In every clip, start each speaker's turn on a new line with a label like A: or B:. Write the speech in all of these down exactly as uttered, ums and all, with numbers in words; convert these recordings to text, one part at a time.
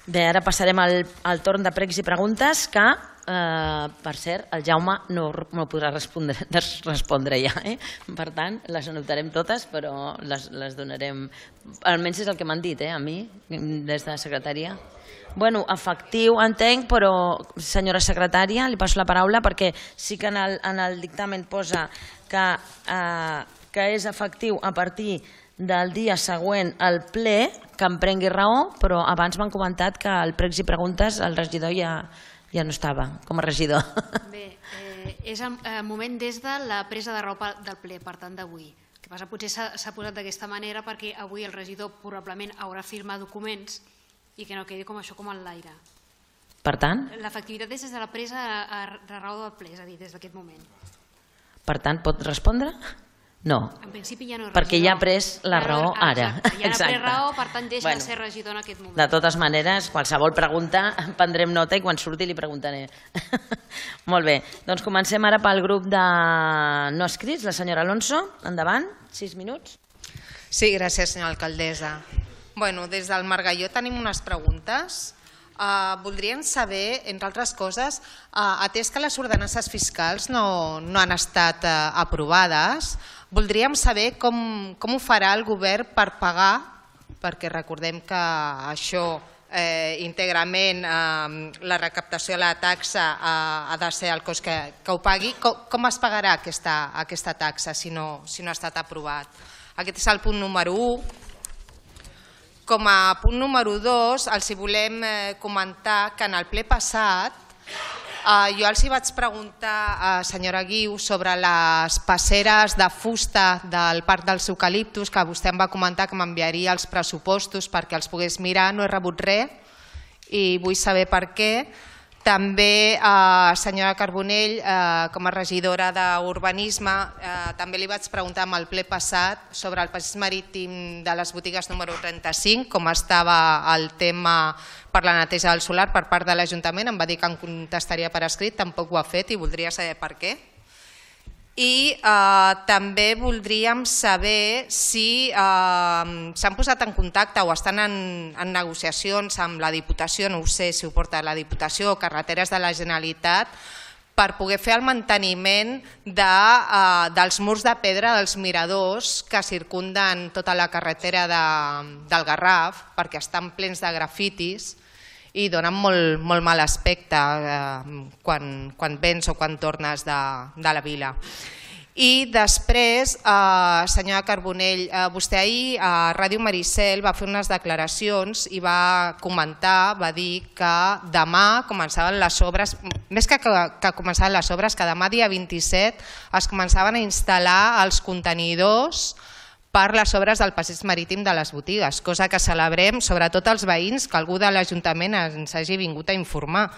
A: Bé, ara passarem al torn de pregs i preguntes que, per cert, el Jaume no podrà respondre ja. Per tant, les anotarem totes, però les donarem... Almenys és el que m'han dit, a mi, des de secretaria. Bueno, efectiu, entenc, però, senyora secretària, li passo la paraula perquè sí que en el dictamen posa que és efectiu a partir del dia següent al ple, que em prengui raó, però abans m'han comentat que al pregs i preguntes el regidor ja no estava com a regidor.
B: Bé, és el moment des de la presa de raó del ple, per tant, d'avui. El que passa, potser s'ha posat d'aquesta manera perquè avui el regidor probablement haurà firmat documents i que no quedi com això com en l'aire.
A: Per tant?
B: L'efectivitat és des de la presa de raó del ple, és a dir, des d'aquest moment.
A: Per tant, pot respondre? No, perquè ja ha pres la raó ara.
B: Ja ha pres raó, per tant deixa de ser regidor en aquest moment.
A: De totes maneres, qualsevol pregunta prendrem nota i quan surti li preguntaré. Molt bé, doncs comencem ara pel grup de no escrits. La senyora Alonso, endavant, sis minuts.
C: Sí, gràcies, senyora alcaldessa. Bueno, des del Margalló tenim unes preguntes. Voldríem saber, entre altres coses, atès que les ordenances fiscals no han estat aprovades, voldríem saber com ho farà el govern per pagar, perquè recordem que això íntegrament, la recaptació de la taxa ha de ser el cost que ho pagui, com es pagarà aquesta taxa si no ha estat aprovat? Aquest és el punt número u. Com a punt número dos, els volem comentar que en el ple passat jo els vaig preguntar, senyora Guiu, sobre les passeres de fusta del Parc dels Eucaliptus, que vostè em va comentar que m'enviaria els pressupostos perquè els pogués mirar. No he rebut res i vull saber per què. També, senyora Carbonell, com a regidora d'Urbanisme, també li vaig preguntar en el ple passat sobre el passeig marítim de les botigues número trenta-cinc, com estava el tema per la neteja del solar per part de l'Ajuntament. Em va dir que em contestaria per escrit, tampoc ho ha fet i voldria saber per què. I també voldríem saber si s'han posat en contacte o estan en negociacions amb la Diputació, no ho sé si ho porta la Diputació o Carreteres de la Generalitat, per poder fer el manteniment dels murs de pedra dels miradors que circunden tota la carretera del Garraf, perquè estan plens de grafitis i donen molt mal aspecte quan vens o quan tornes de la vila. I després, senyora Carbonell, vostè ahir a Ràdio Maricel va fer unes declaracions i va comentar, va dir que demà començaven les obres, més que començaven les obres, que demà dia vint-i-set es començaven a instal·lar els contenidors per les obres del passeig marítim de les botigues, cosa que celebrem, sobretot els veïns, que algú de l'Ajuntament ens hagi vingut a informar.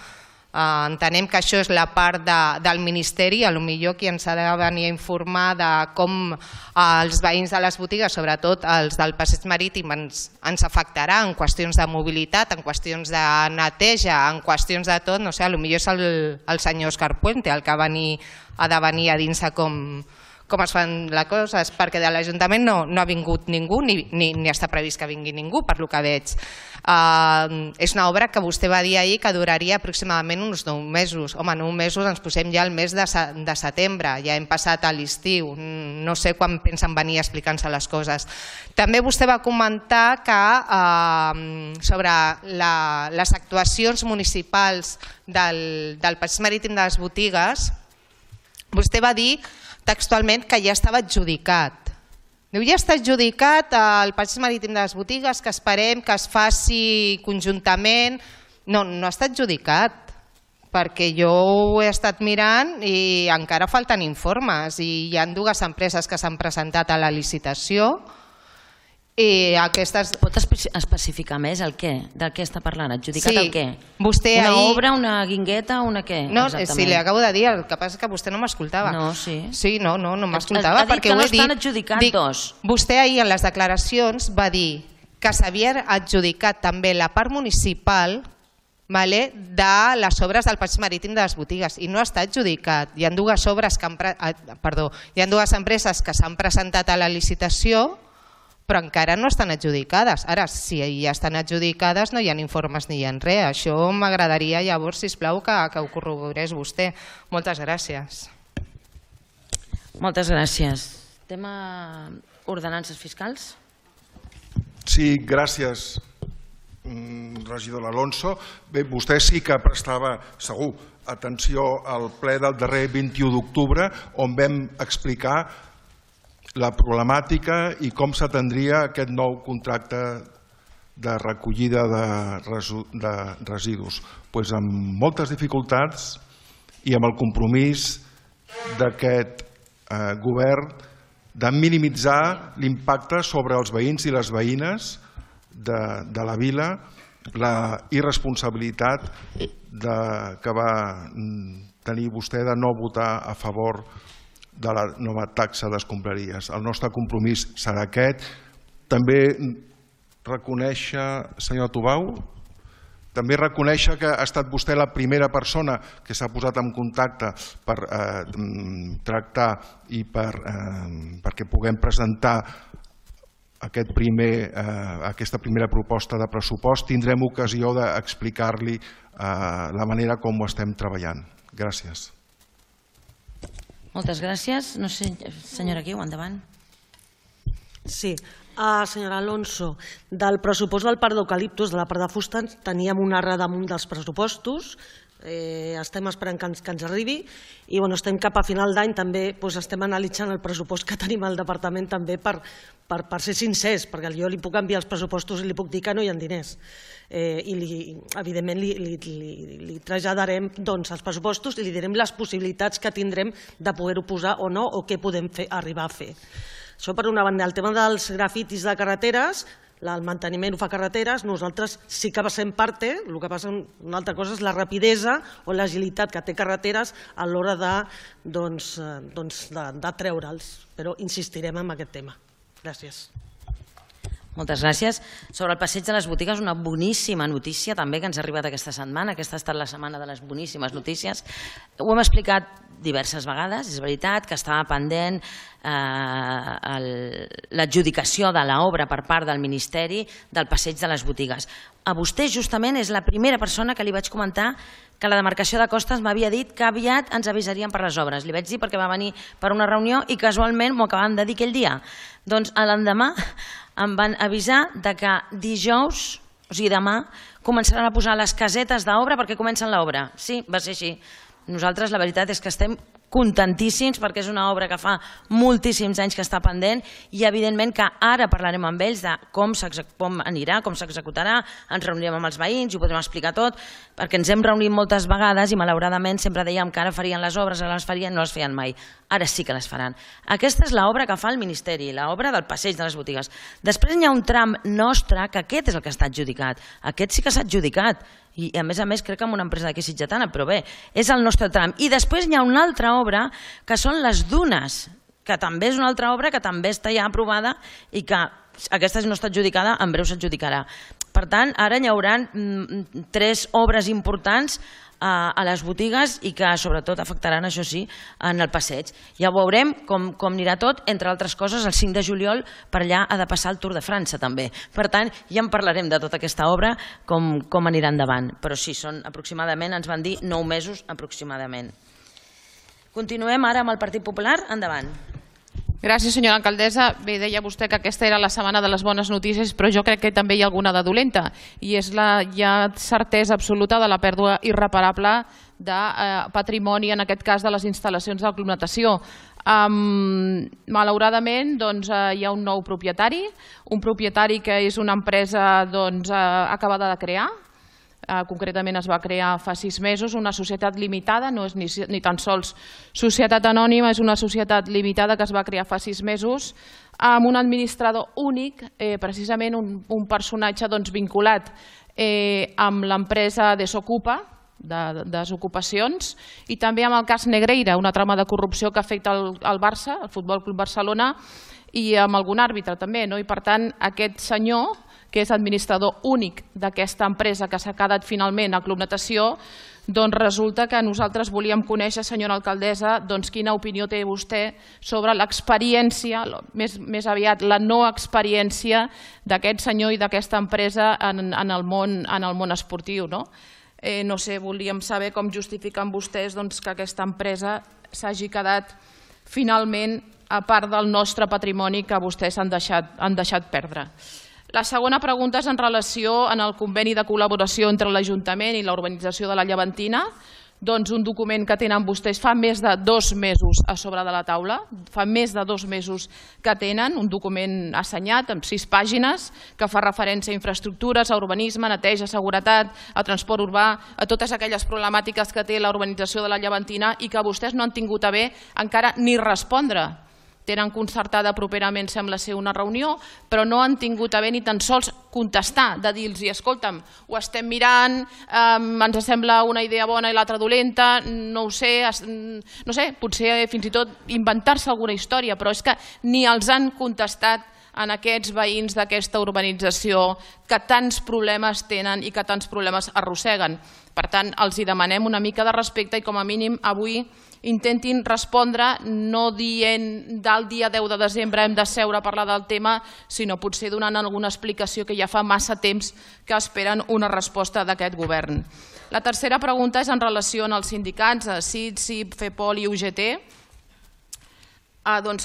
C: Entenem que això és la part del Ministeri, potser qui ens ha de venir a informar de com els veïns de les botigues, sobretot els del passeig marítim, ens afectarà en qüestions de mobilitat, en qüestions de neteja, en qüestions de tot, no sé, potser és el senyor Òscar Puente el que ha de venir a dir-se com com es fan les coses, perquè de l'Ajuntament no ha vingut ningú, ni està previst que vingui ningú, per lo que veig. És una obra que vostè va dir ahir que duraria aproximadament uns nou mesos. Home, nou mesos ens posem ja al mes de setembre, ja hem passat a l'estiu, no sé quan pensen venir a explicar-nos les coses. També vostè va comentar que sobre les actuacions municipals del passeig marítim de les botigues, vostè va dir textualment que ja estava adjudicat. Diu, ja està adjudicat el passeig marítim de les botigues, que esperem que es faci conjuntament. No, no està adjudicat, perquè jo ho he estat mirant i encara falten informes i hi ha dues empreses que s'han presentat a la licitació.
A: Pot especificar més el què? De què està parlant? Adjudicat el què? Una obra, una guingueta, una què?
C: No, sí, li acabo de dir, el que passa és que vostè no m'escoltava.
A: No, sí.
C: Sí, no, no m'escoltava.
A: Ha dit que no estan adjudicats dos.
C: Vostè ahir en les declaracions va dir que s'havia adjudicat també la part municipal de les obres del passeig marítim de les botigues i no està adjudicat. Hi ha dues obres que han, perdó, hi ha dues empreses que s'han presentat a la licitació, però encara no estan adjudicades. Ara, si ja estan adjudicades no hi ha informes ni hi ha res. Això m'agradaria llavors, sisplau, que, que ho corroborés vostè. Moltes gràcies.
A: Moltes gràcies. Tema ordenances fiscals?
D: Sí, gràcies, regidor Alonso. Bé, vostè sí que prestava, segur, atenció al ple del darrer vint-i-u d'octubre, on vam explicar la problemàtica i com s'atendria aquest nou contracte de recollida de residus. Doncs amb moltes dificultats i amb el compromís d'aquest govern de minimitzar l'impacte sobre els veïns i les veïnes de la vila, la irresponsabilitat que va tenir vostè de no votar a favor de la nova taxa d'escombraries. El nostre compromís serà aquest. També reconèixer, senyor Tubau, també reconèixer que ha estat vostè la primera persona que s'ha posat en contacte per tractar i perquè puguem presentar aquesta primera proposta de pressupost. Tindrem ocasió d'explicar-li la manera com ho estem treballant. Gràcies.
A: Moltes gràcies. No sé, senyora Guiu, endavant.
E: Sí, senyora Alonso, del pressupost del parc d'eucaliptus, de la part de fusta, teníem una errada damunt dels pressupostos, estem esperant que ens arribi i estem cap a final d'any, també estem analitzant el pressupost que tenim al departament també per ser sincers, perquè jo li puc enviar els pressupostos i li puc dir que no hi ha diners i evidentment li traslladarem els pressupostos i li direm les possibilitats que tindrem de poder-ho posar o no o què podem arribar a fer. Això per una banda. El tema dels grafitis de carreteres, el manteniment ho fa Carreteres, nosaltres sí que passem parte, el que passa una altra cosa és la rapidesa o l'agilitat que té Carreteres a l'hora de treure'ls, però insistirem en aquest tema. Gràcies.
A: Moltes gràcies. Sobre el passeig de les botigues, una boníssima notícia també que ens ha arribat aquesta setmana. Aquesta ha estat la setmana de les boníssimes notícies. Ho hem explicat diverses vegades, és veritat que estava pendent l'adjudicació de l'obra per part del Ministeri del passeig de les botigues. A vostè justament és la primera persona que li vaig comentar que la demarcació de Costes m'havia dit que aviat ens avisarien per les obres. Li vaig dir perquè va venir per una reunió i casualment m'ho acabaven de dir aquell dia. Doncs l'endemà em van avisar que dijous, o sigui demà, començaran a posar les casetes d'obra perquè comencen l'obra. Sí, va ser així. Nosaltres la veritat és que estem contentíssims perquè és una obra que fa moltíssims anys que està pendent i evidentment que ara parlarem amb ells de com anirà, com s'executarà, ens reunirem amb els veïns i ho podrem explicar tot, perquè ens hem reunit moltes vegades i malauradament sempre dèiem que ara farien les obres, ara les farien, no les feien mai. Ara sí que les faran. Aquesta és l'obra que fa el Ministeri, l'obra del passeig de les botigues. Després hi ha un tram nostre que aquest és el que està adjudicat. Aquest sí que s'ha adjudicat i a més a més crec que amb una empresa d'aquí sitgetana, però bé, és el nostre tram. I després hi ha una altra obra que són les dunes, que també és una altra obra que també està ja aprovada i que aquesta no està adjudicada, en breu s'adjudicarà. Per tant, ara hi haurà tres obres importants a les botigues i que sobretot afectaran, això sí, en el passeig. Ja ho veurem com anirà tot, entre altres coses el cinc de juliol per allà ha de passar el Tour de França també. Per tant, ja en parlarem de tota aquesta obra, com anirà endavant. Però sí, són aproximadament, ens van dir, nou mesos aproximadament. Continuem ara amb el Partit Popular. Endavant.
F: Gràcies, senyora alcaldessa. Bé, deia vostè que aquesta era la setmana de les bones notícies, però jo crec que també hi ha alguna de dolenta, i és la ja certesa absoluta de la pèrdua irreparable de patrimoni, en aquest cas de les instal·lacions d'aclimatació. Malauradament hi ha un nou propietari, un propietari que és una empresa acabada de crear, concretament es va crear fa sis mesos, una societat limitada, no és ni tan sols societat anònima, és una societat limitada que es va crear fa sis mesos amb un administrador únic, precisament un personatge vinculat amb l'empresa Desocupa, de desocupacions, i també amb el cas Negreira, una trama de corrupció que afecta el Barça, el Futbol Club Barcelona, i amb algun àrbitre també. I per tant, aquest senyor, que és administrador únic d'aquesta empresa que s'ha quedat finalment a Club Natació, Doncs resulta que nosaltres volíem conèixer, senyora alcaldessa, doncs quina opinió té vostè sobre l'experiència, més, més aviat la no experiència d'aquest senyor i d'aquesta empresa en, en, el món, en el món esportiu. No, eh, no sé, volíem saber com justifiquen vostès doncs, que aquesta empresa s'hagi quedat finalment a part del nostre patrimoni que vostès han deixat, han deixat perdre. La segona pregunta és en relació amb el conveni de col·laboració entre l'Ajuntament i la urbanització de la Llevantina, doncs un document que tenen vostès fa més de dos mesos a sobre de la taula, fa més de dos mesos que tenen, un document assenyat amb sis pàgines que fa referència a infraestructures, a urbanisme, neteja, seguretat, a transport urbà, a totes aquelles problemàtiques que té la urbanització de la Llevantina i que vostès no han tingut a bé encara ni respondre. Tenen concertada properament, sembla ser, una reunió, però no han tingut a bé ni tan sols contestar, de dir-los, escolta'm, ho estem mirant, eh, ens sembla una idea bona i l'altra dolenta, no ho sé, no sé, potser fins i tot inventar-se alguna història, però és que ni els han contestat en aquests veïns d'aquesta urbanització que tants problemes tenen i que tants problemes arrosseguen. Per tant, els hi demanem una mica de respecte i com a mínim avui intentin respondre, no dient del dia deu de desembre hem de seure a parlar del tema, sinó potser donant alguna explicació que ja fa massa temps que esperen una resposta d'aquest govern. La tercera pregunta és en relació amb els sindicats, C I D, C I P, FEPOL i U G T,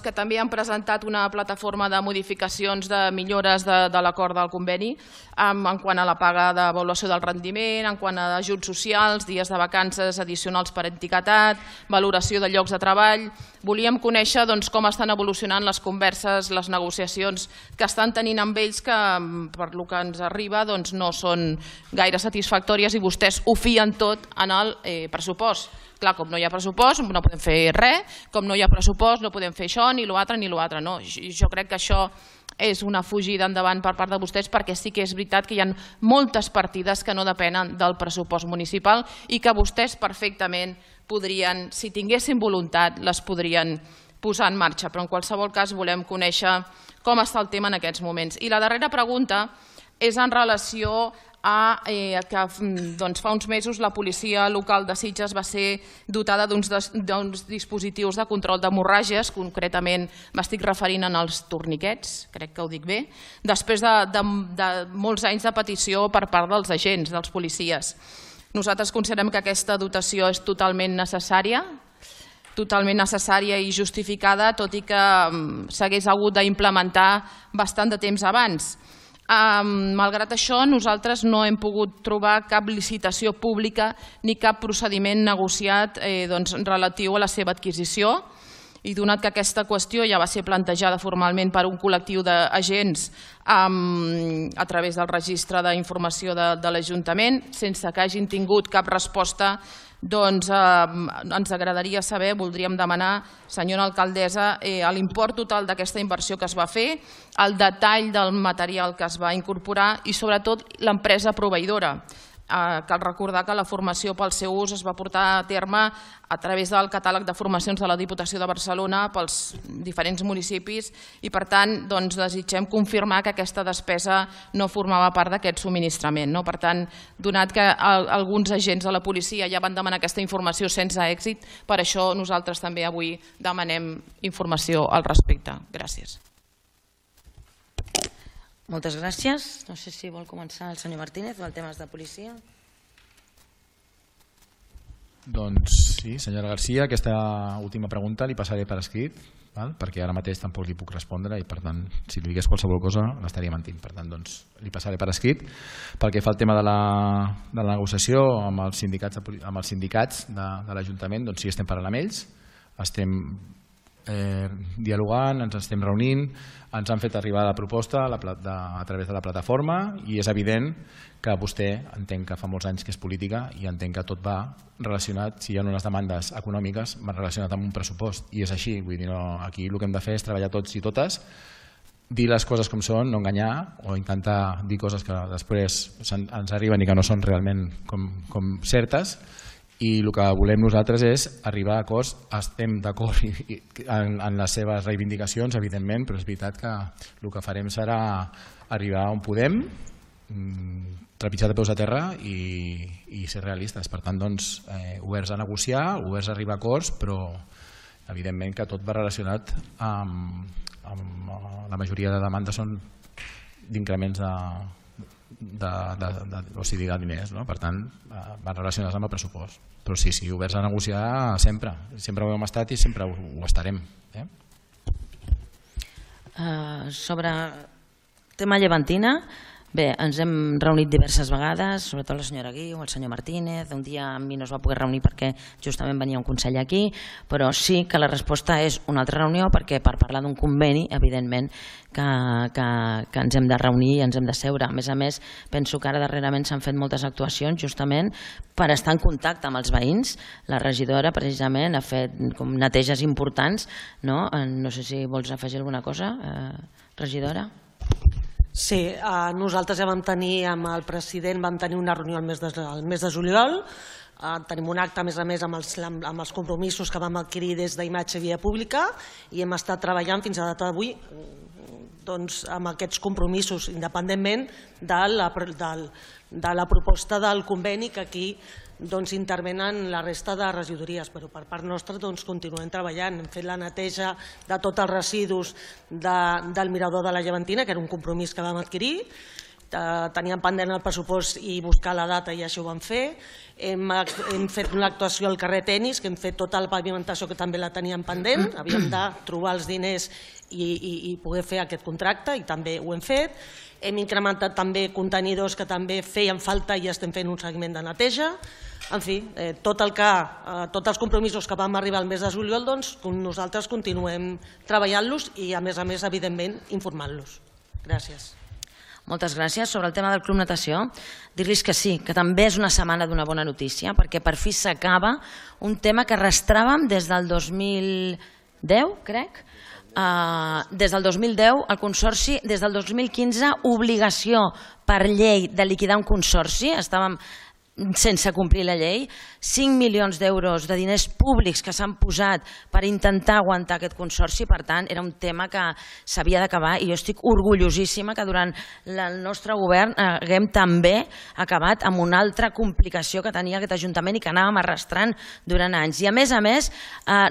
F: que també han presentat una plataforma de modificacions de millores de l'acord del conveni en quant a la paga d'avaluació del rendiment, en quant a ajuts socials, dies de vacances addicionals per etiquetat, valoració de llocs de treball. Volíem conèixer com estan evolucionant les converses, les negociacions que estan tenint amb ells, que per lo que ens arriba no són gaire satisfactòries i vostès ho fien tot en el pressupost. Clar, com no hi ha pressupost no podem fer res, com no hi ha pressupost no podem fer això, ni l'altre, ni l'altre. Jo crec que això és una fugida endavant per part de vostès, perquè sí que és veritat que hi ha moltes partides que no depenen del pressupost municipal i que vostès perfectament podrien, si tinguessin voluntat, les podrien posar en marxa. Però en qualsevol cas volem conèixer com està el tema en aquests moments. I la darrera pregunta és en relació a que fa uns mesos la policia local de Sitges va ser dotada d'uns dispositius de control d'hemorràgies, concretament m'estic referint als torniquets, crec que ho dic bé, després de molts anys de petició per part dels agents, dels policies. Nosaltres considerem que aquesta dotació és totalment necessària, totalment necessària i justificada, tot i que s'hagués hagut d'implementar bastant de temps abans. Malgrat això, nosaltres no hem pogut trobar cap licitació pública ni cap procediment negociat relatiu a la seva adquisició, i donat que aquesta qüestió ja va ser plantejada formalment per un col·lectiu d'agents a través del registre d'informació de l'Ajuntament, sense que hagin tingut cap resposta, doncs ens agradaria saber, voldríem demanar, senyora alcaldessa, l'import total d'aquesta inversió que es va fer, el detall del material que es va incorporar i sobretot l'empresa proveïdora. Cal recordar que la formació pel seu ús es va portar a terme a través del catàleg de formacions de la Diputació de Barcelona pels diferents municipis i, per tant, desitgem confirmar que aquesta despesa no formava part d'aquest subministrament. Per tant, donat que alguns agents de la policia ja van demanar aquesta informació sense èxit, per això nosaltres també avui demanem informació al respecte. Gràcies.
A: Moltes gràcies. No sé si vol començar el senyor Martínez o el tema de policia.
G: Doncs sí, senyora Garcia, aquesta última pregunta li passaré per escrit, perquè ara mateix tampoc li puc respondre i, per tant, si li digués qualsevol cosa l'estaria mentint. Per tant, li passaré per escrit. Pel que fa al tema de la negociació amb els sindicats de l'Ajuntament, doncs sí, estem parlant amb ells, estem dialogant, ens estem reunint, ens han fet arribar la proposta a través de la plataforma i és evident que vostè entenc que fa molts anys que és política i entenc que tot va relacionat, si hi ha unes demandes econòmiques, va relacionat amb un pressupost i és així, vull dir, aquí el que hem de fer és treballar tots i totes, dir les coses com són, no enganyar o intentar dir coses que després ens arriben i que no són realment com certes. I el que volem nosaltres és arribar a acords, estem d'acord en les seves reivindicacions, evidentment, però és veritat que el que farem serà arribar on podem, trepitjar de peus a terra i ser realistes. Per tant, oberts a negociar, oberts a arribar a acords, però evidentment que tot va relacionat amb la majoria de demandes són d'increments de diners, per tant van relacionats amb el pressupost. Però sí, sí, oberts a negociar sempre, sempre ho hem estat i sempre ho estarem.
A: Sobre tema llevantina, bé, ens hem reunit diverses vegades, sobretot la senyora Guiu, el senyor Martínez, un dia amb mi no es va poder reunir perquè justament venia un consell aquí, però sí que la resposta és una altra reunió perquè per parlar d'un conveni, evidentment, que ens hem de reunir i ens hem de seure. A més a més, penso que ara darrerament s'han fet moltes actuacions justament per estar en contacte amb els veïns. La regidora precisament ha fet neteges importants, no? No sé si vols afegir alguna cosa, regidora?
E: Sí, nosaltres ja vam tenir amb el president, vam tenir una reunió el mes de juliol, tenim un acte a més a més amb els compromisos que vam adquirir des d'imatge via pública i hem estat treballant fins a data d'avui amb aquests compromisos, independentment de la proposta del conveni que aquí intervenen la resta de regidories, però per part nostra continuem treballant. Hem fet la neteja de tots els residus del mirador de la Llevantina, que era un compromís que vam adquirir, teníem pendent el pressupost i buscar la data i això ho vam fer. Hem fet una actuació al carrer Tenis, que hem fet tota la pavimentació que també la teníem pendent, havíem de trobar els diners i poder fer aquest contracte i també ho hem fet. Hem incrementat també contenidors que també feien falta i estem fent un seguiment de neteja. En fi, tots els compromisos que vam arribar al mes de juliol, nosaltres continuem treballant-los i, a més a més, evidentment, informant-los. Gràcies.
A: Moltes gràcies. Sobre el tema del Club Natació, dir-los que sí, que també és una setmana d'una bona notícia, perquè per fi s'acaba un tema que arrastràvem des del dos mil deu, crec. Des del dos mil deu, el Consorci, des del dos mil quinze, obligació per llei de liquidar un consorci, estàvem sense complir la llei, cinc milions d'euros de diners públics que s'han posat per intentar aguantar aquest consorci, per tant, era un tema que s'havia d'acabar i jo estic orgullosíssima que durant el nostre govern haguem també acabat amb una altra complicació que tenia aquest Ajuntament i que anàvem arrastrant durant anys. I a més a més,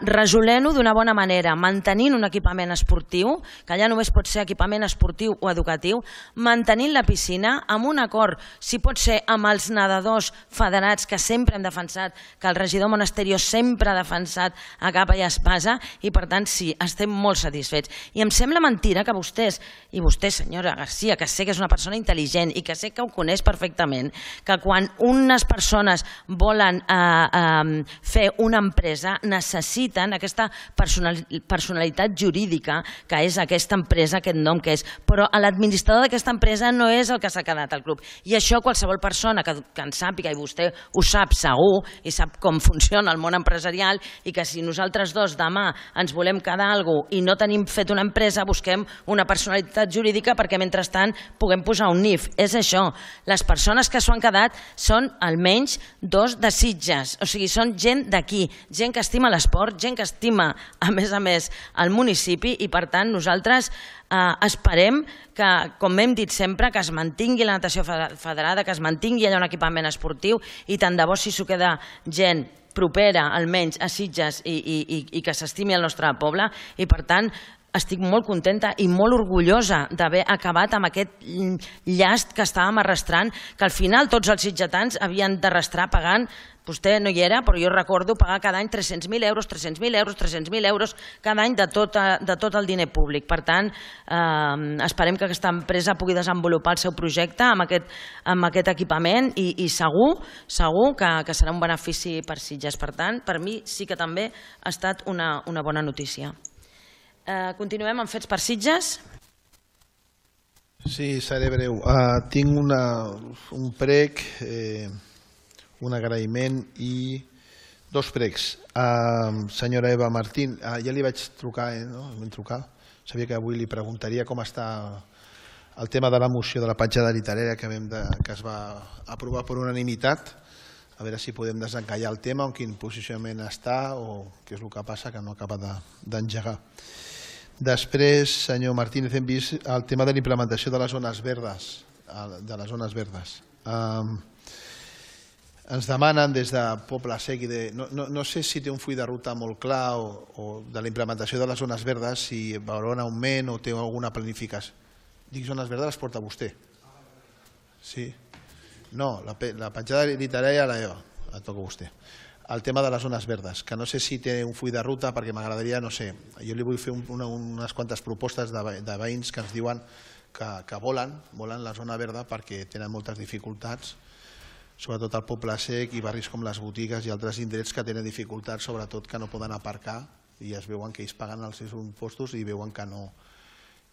A: resolent-ho d'una bona manera, mantenint un equipament esportiu, que allà només pot ser equipament esportiu o educatiu, mantenint la piscina, amb un acord, si pot ser amb els nedadors federats que sempre hem defensat, que el regidor Monasterio sempre ha defensat a capa i espasa i per tant sí, estem molt satisfets. I em sembla mentira que vostès, i vostè senyora Garcia, que sé que és una persona intel·ligent i que sé que ho coneix perfectament, que quan unes persones volen fer una empresa necessiten aquesta personalitat jurídica que és aquesta empresa, aquest nom que és, però l'administrador d'aquesta empresa no és el que s'ha quedat al club. I això qualsevol persona que en sàpiga, i vostè ho sap segur i sap com funciona el món empresarial i que si nosaltres dos demà ens volem quedar alguna cosa i no tenim fet una empresa, busquem una personalitat jurídica perquè mentrestant puguem posar un N I F. És això. Les persones que s'ho han quedat són almenys dos de Sitges, o sigui, són gent d'aquí, gent que estima l'esport, gent que estima, a més a més, el municipi i per tant nosaltres esperem que, com hem dit sempre, que es mantingui la natació federada, que es mantingui allà un equipament esportiu i tant de bo si s'ho queda gent propera, almenys, a Sitges i que s'estimi el nostre poble i per tant estic molt contenta i molt orgullosa d'haver acabat amb aquest llast que estàvem arrastrant, que al final tots els sitgetans havien d'arrastrar pagant, vostè no hi era, però jo recordo pagar cada any tres-cents mil euros, tres-cents mil euros, tres-cents mil euros cada any de tot el diner públic. Per tant, esperem que aquesta empresa pugui desenvolupar el seu projecte amb aquest equipament i segur que serà un benefici per Sitges. Per tant, per mi sí que també ha estat una bona notícia. Continuem amb fets per Sitges.
H: Sí, seré breu. Tinc un prec, un agraïment i dos precs. Senyora Eva Martín, ja li vaig trucar, vam trucar, sabia que avui li preguntaria com està el tema de la moció de la petjada literària que es va aprovar per unanimitat, a veure si podem desencallar el tema, en quin posicionament està o què és el que passa, que no acaba d'engegar. Després, senyor Martínez, hem vist el tema de la implementació de les zones verdes. de les zones verdes. Ens demanen des de Poble Sec i de... No sé si té un full de ruta molt clar o de la implementació de les zones verdes, si veurà un augment o té alguna planificació. Dic zones verdes les porta vostè. Sí? No, la petjada literària la toca vostè. El tema de les zones verdes, que no sé si té un full de ruta perquè m'agradaria, no sé, jo li vull fer unes quantes propostes de veïns que ens diuen que volen, volen la zona verda perquè tenen moltes dificultats, sobretot al Poble Sec i barris com les botigues i altres indrets que tenen dificultats, sobretot que no poden aparcar i es veuen que ells paguen els seus impostos i veuen que no,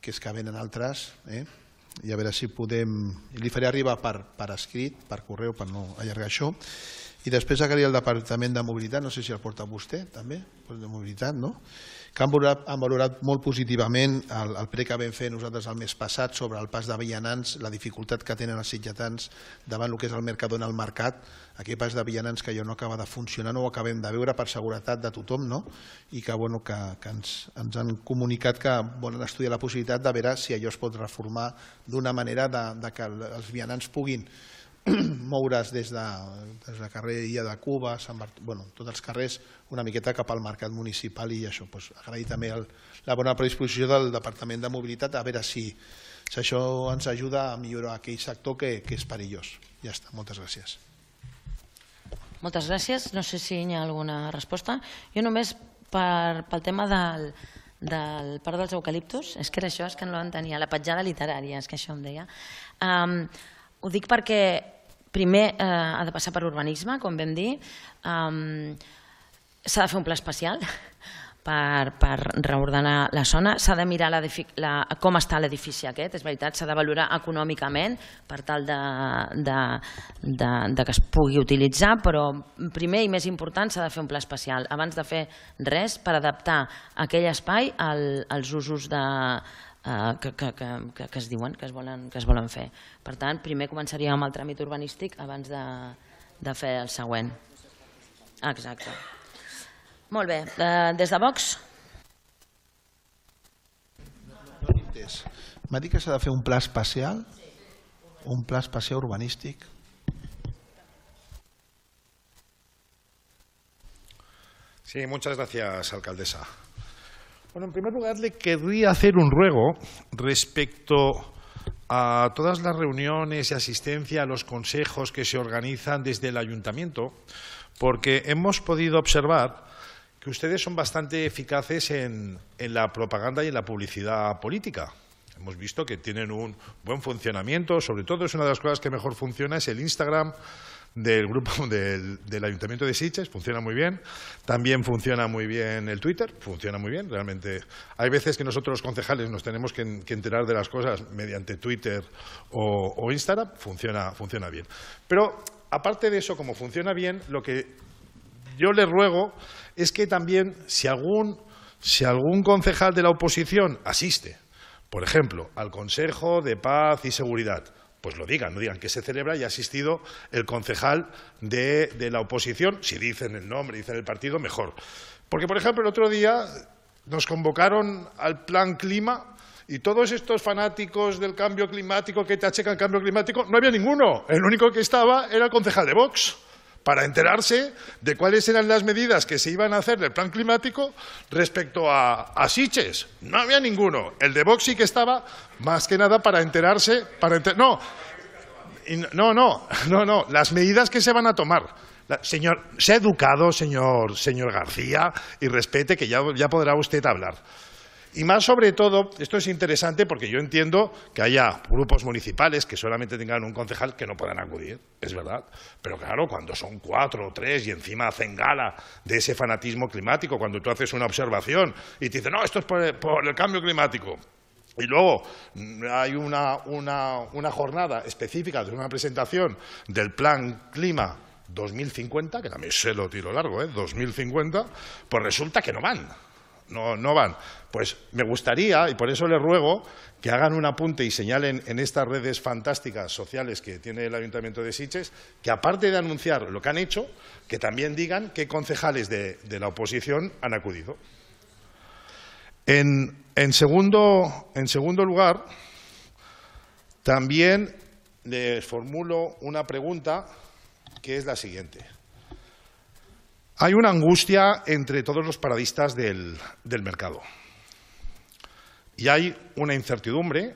H: que és que venen altres, i a veure si podem... Li faré arribar per escrit, per correu, per no allargar això. I després acabaria el Departament de Mobilitat, no sé si el porta vostè també, de Mobilitat, no? Que han valorat molt positivament el ple que vam fer nosaltres el mes passat sobre el pas de vianants, la dificultat que tenen els sitgetans davant el que és el Mercadona al mercat, aquell pas de vianants que ja no acaba de funcionar, no ho acabem de veure per seguretat de tothom, no? I que ens han comunicat que volen estudiar la possibilitat de veure si allò es pot reformar d'una manera que els vianants puguin moure's des del carrer Illa de Cuba, tots els carrers, una miqueta cap al mercat municipal i això. Agrair també la bona predisposició del Departament de Mobilitat a veure si això ens ajuda a millorar aquell sector que és perillós. Ja està, moltes gràcies.
A: Moltes gràcies. No sé si hi ha alguna resposta. Jo només pel tema del Parc dels Eucaliptus, és que era això, és que no l'entenia, la petjada literària, és que això em deia. Ho dic perquè primer ha de passar per urbanisme, com vam dir, s'ha de fer un pla especial per reordenar la zona, s'ha de mirar com està l'edifici aquest, és veritat, s'ha de valorar econòmicament per tal que es pugui utilitzar, però primer i més important s'ha de fer un pla especial, abans de fer res per adaptar aquell espai als usos de que es diuen, que es volen fer. Per tant, primer començaríem amb el tràmit urbanístic abans de fer el següent. Exacte. Molt bé. Des de Vox?
H: No l'he entès. M'ha dit que s'ha de fer un pla especial? Un pla especial urbanístic?
I: Sí, muchas gracias, alcaldesa. Bueno, en primer lugar, le querría hacer un ruego respecto a todas las reuniones y asistencia a los consejos que se organizan desde el ayuntamiento, porque hemos podido observar que ustedes son bastante eficaces en, en la propaganda y en la publicidad política. Hemos visto que tienen un buen funcionamiento, sobre todo es una de las cosas que mejor funciona, es el Instagram del grupo del, del Ayuntamiento de Sitges, funciona muy bien. También funciona muy bien el Twitter, funciona muy bien. Realmente hay veces que nosotros los concejales nos tenemos que, que enterar de las cosas mediante Twitter o, o Instagram, funciona, funciona bien. Pero aparte de eso, como funciona bien, lo que yo le ruego es que también si algún, si algún concejal de la oposición asiste, por ejemplo, al Consejo de Paz y Seguridad, pues lo digan, no digan que se celebra y ha asistido el concejal de, de la oposición, si dicen el nombre, dicen el partido, mejor. Porque, por ejemplo, el otro día nos convocaron al Plan Clima y todos estos fanáticos del cambio climático que te achecan el cambio climático, no había ninguno. El único que estaba era el concejal de Vox, para enterarse de cuáles eran las medidas que se iban a hacer del plan climático respecto a, a Sitges. No había ninguno. El de Vox sí que estaba, más que nada, para enterarse... Para enter... no, no, no, no, no, las medidas que se van a tomar. La, señor, sea educado, señor, señor García, y respete, que ya, ya podrá usted hablar. Y más sobre todo, esto es interesante porque yo entiendo que haya grupos municipales que solamente tengan un concejal que no puedan acudir, es verdad. Pero claro, cuando son cuatro o tres y encima hacen gala de ese fanatismo climático, cuando tú haces una observación y te dicen, no, esto es por el, por el cambio climático. Y luego hay una, una, una jornada específica de una presentación del Plan Clima dos mil cincuenta, que también se lo tiro largo, ¿eh? dos mil cincuenta, pues resulta que no van. No, no van. Pues me gustaría, y por eso les ruego, que hagan un apunte y señalen en estas redes fantásticas sociales que tiene el Ayuntamiento de Sitges, que aparte de anunciar lo que han hecho, que también digan qué concejales de, de la oposición han acudido. En, en, segundo, en segundo lugar, también les formulo una pregunta que es la siguiente. Hay una angustia entre todos los paradistas del, del mercado y hay una incertidumbre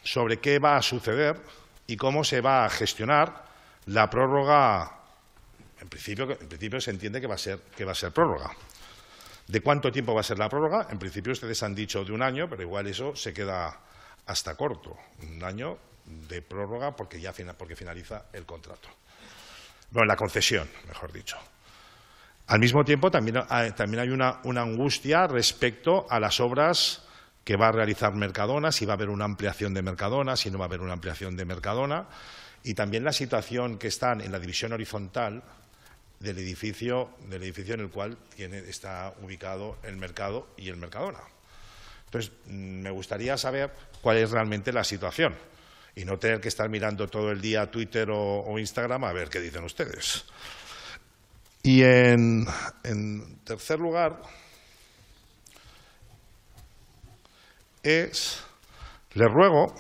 I: sobre qué va a suceder y cómo se va a gestionar la prórroga. En principio, en principio se entiende que va a ser, que va a ser prórroga. ¿De cuánto tiempo va a ser la prórroga? En principio ustedes han dicho de un año, pero igual eso se queda hasta corto. Un año de prórroga porque ya porque finaliza el contrato. Bueno, la concesión, mejor dicho. Al mismo tiempo, también hay, también hay una, una angustia respecto a las obras que va a realizar Mercadona, si va a haber una ampliación de Mercadona, si no va a haber una ampliación de Mercadona, y también la situación que están en la división horizontal del edificio, del edificio en el cual tiene, está ubicado el mercado y el Mercadona. Entonces, me gustaría saber cuál es realmente la situación y no tener que estar mirando todo el día Twitter o, o Instagram a ver qué dicen ustedes. Y en, en tercer lugar, es, les ruego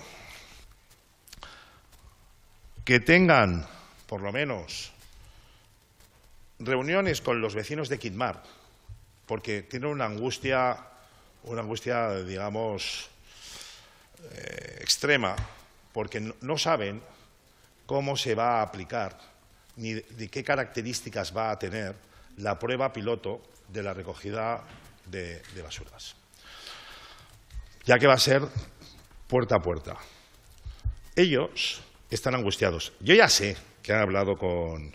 I: que tengan, por lo menos, reuniones con los vecinos de Quitmar, porque tienen una angustia, una angustia, digamos, eh, extrema, porque no, no saben cómo se va a aplicar ni de, de qué características va a tener la prueba piloto de la recogida de, de basuras, ya que va a ser puerta a puerta. Ellos están angustiados. Yo ya sé que han hablado con,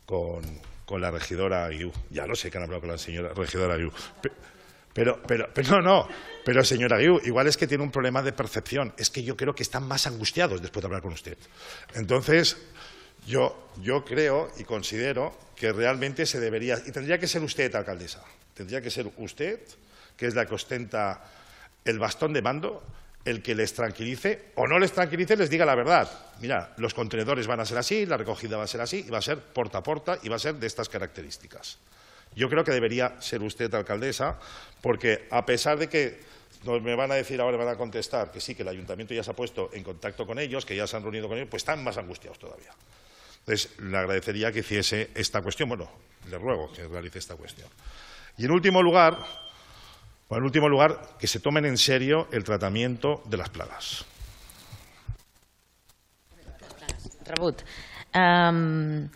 I: con, con la regidora Aguiú, ya lo sé que han hablado con la señora regidora Aguiú, pero, pero, pero no, no, pero señora Aguiú, igual es que tiene un problema de percepción, es que yo creo que están más angustiados después de hablar con usted. Entonces, yo, yo creo y considero que realmente se debería, y tendría que ser usted, alcaldesa, tendría que ser usted, que es la que ostenta el bastón de mando, el que les tranquilice o no les tranquilice, les diga la verdad. Mira, los contenedores van a ser así, la recogida va a ser así, y va a ser porta a porta y va a ser de estas características. Yo creo que debería ser usted, alcaldesa, porque a pesar de que nos me van a decir ahora, me van a contestar que sí, que el ayuntamiento ya se ha puesto en contacto con ellos, que ya se han reunido con ellos, pues están más angustiados todavía. Entonces, le agradecería que hiciese esta cuestión, bueno, le ruego que realice esta cuestión. Y en último lugar, bueno, en último lugar, que se tomen en serio el tratamiento de las plagas.
A: Rebut. Um,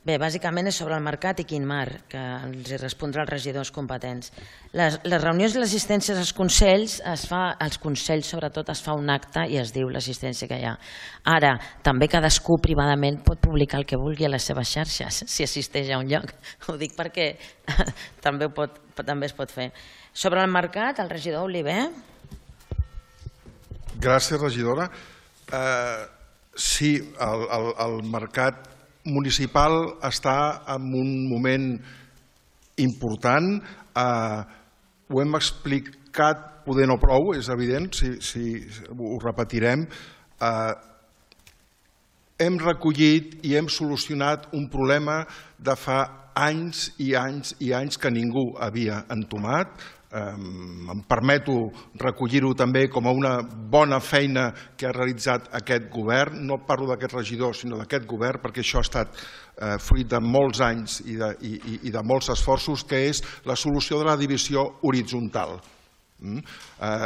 A: bé, bàsicament és sobre el mercat i Quitmar, que els hi respondrà els regidors competents. Les, les reunions i l'assistència als consells, es fa, als consells sobretot es fa un acte i es diu l'assistència que hi ha. Ara, també cadascú privadament pot publicar el que vulgui a les seves xarxes, si assisteix a un lloc. Ho dic perquè també, pot, també es pot fer. Sobre el mercat, el regidor Oliver.
D: Gràcies, regidora. Eh, sí, el, el, el mercat municipal està en un moment important. Eh, ho hem explicat, poder no prou, és evident, si, si ho repetirem. Eh, hem recollit i hem solucionat un problema de fa anys i anys i anys que ningú havia entomat. Em permeto recollir-ho també com a una bona feina que ha realitzat aquest govern. No parlo d'aquest regidor, sinó d'aquest govern, perquè això ha estat fruit de molts anys i de, i, i de molts esforços, que és la solució de la divisió horitzontal.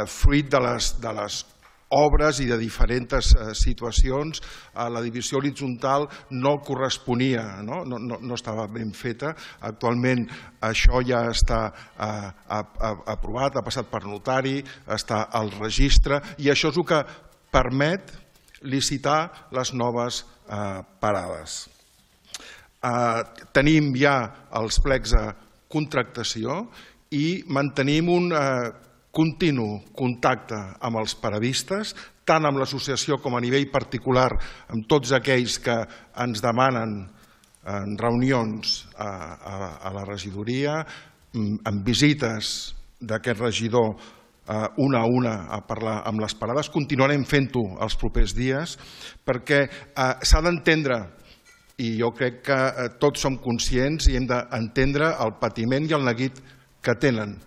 D: Fruit de les, de les obres i de diferents situacions, la divisió horitzontal no corresponia, no, no, no estava ben feta. Actualment això ja està aprovat, ha passat per notari, està al registre, i això és el que permet licitar les noves parades. Tenim ja els plecs de contractació i mantenim un continu contacte amb els paradistes, tant amb l'associació com a nivell particular, amb tots aquells que ens demanen en reunions a, a, a la regidoria, amb visites d'aquest regidor una a una a parlar amb les parades. Continuarem fent-ho els propers dies, perquè s'ha d'entendre, i jo crec que tots som conscients i hem d'entendre el patiment i el neguit que tenen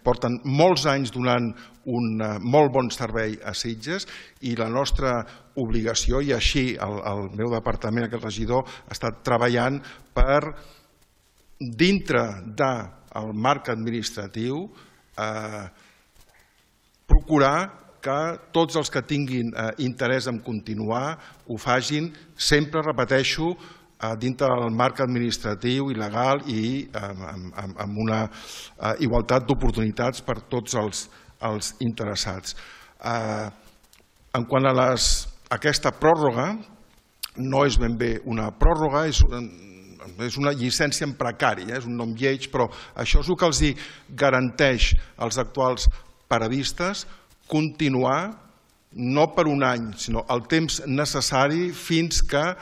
D: Porten molts anys donant un molt bon servei a Sitges i la nostra obligació, i així el meu departament, aquest regidor, ha estat treballant per, dintre del marc administratiu, procurar que tots els que tinguin interès en continuar ho facin, sempre, repeteixo, dintre del marc administratiu i legal i amb una igualtat d'oportunitats per tots els interessats. En quant a aquesta pròrroga, no és ben bé una pròrroga, és una llicència en precari, és un nom lleig, però això és el que els garanteix als actuals paradistes, continuar no per un any, sinó el temps necessari fins que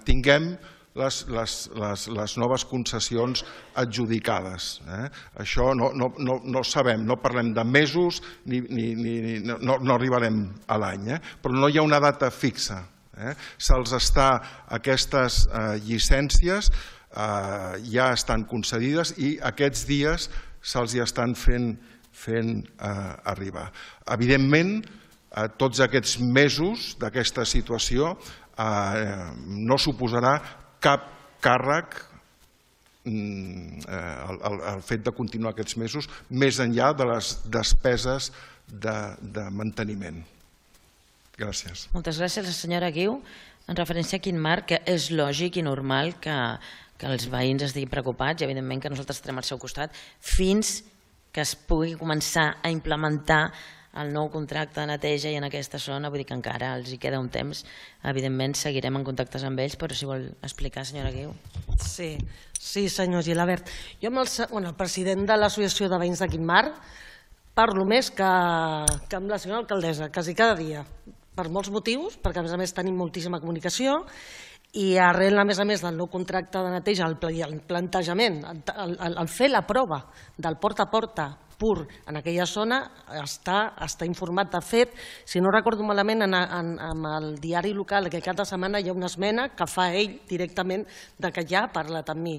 D: tinguem les noves concessions adjudicades. Això no sabem, no parlem de mesos, no arribarem a l'any, però no hi ha una data fixa. Se'ls està, aquestes llicències ja estan concedides i aquests dies se'ls hi estan fent arribar. Evidentment, tots aquests mesos d'aquesta situació no suposarà cap càrrec el fet de continuar aquests mesos més enllà de les despeses de manteniment. Gràcies.
A: Moltes gràcies, senyora Guiu. En referència a quin marc, és lògic i normal que els veïns estiguin preocupats i evidentment que nosaltres estarem al seu costat fins que es pugui començar a implementar el nou contracte de neteja i en aquesta zona, vull dir que encara els hi queda un temps, evidentment seguirem en contactes amb ells, però si vol explicar, senyora Guiu.
E: Sí, sí, senyor Gilabert. Jo amb el president de l'Associació de Veïns de Quintmar parlo més que amb la senyora alcaldessa, quasi cada dia, per molts motius, perquè a més a més tenim moltíssima comunicació i arrel, a més a més, del nou contracte de neteja, el plantejament, el fer la prova del porta a porta pur en aquella zona està informat. De fet, si no recordo malament, en el diari local que cada setmana hi ha una esmena que fa ell directament de que ja ha parlat amb mi.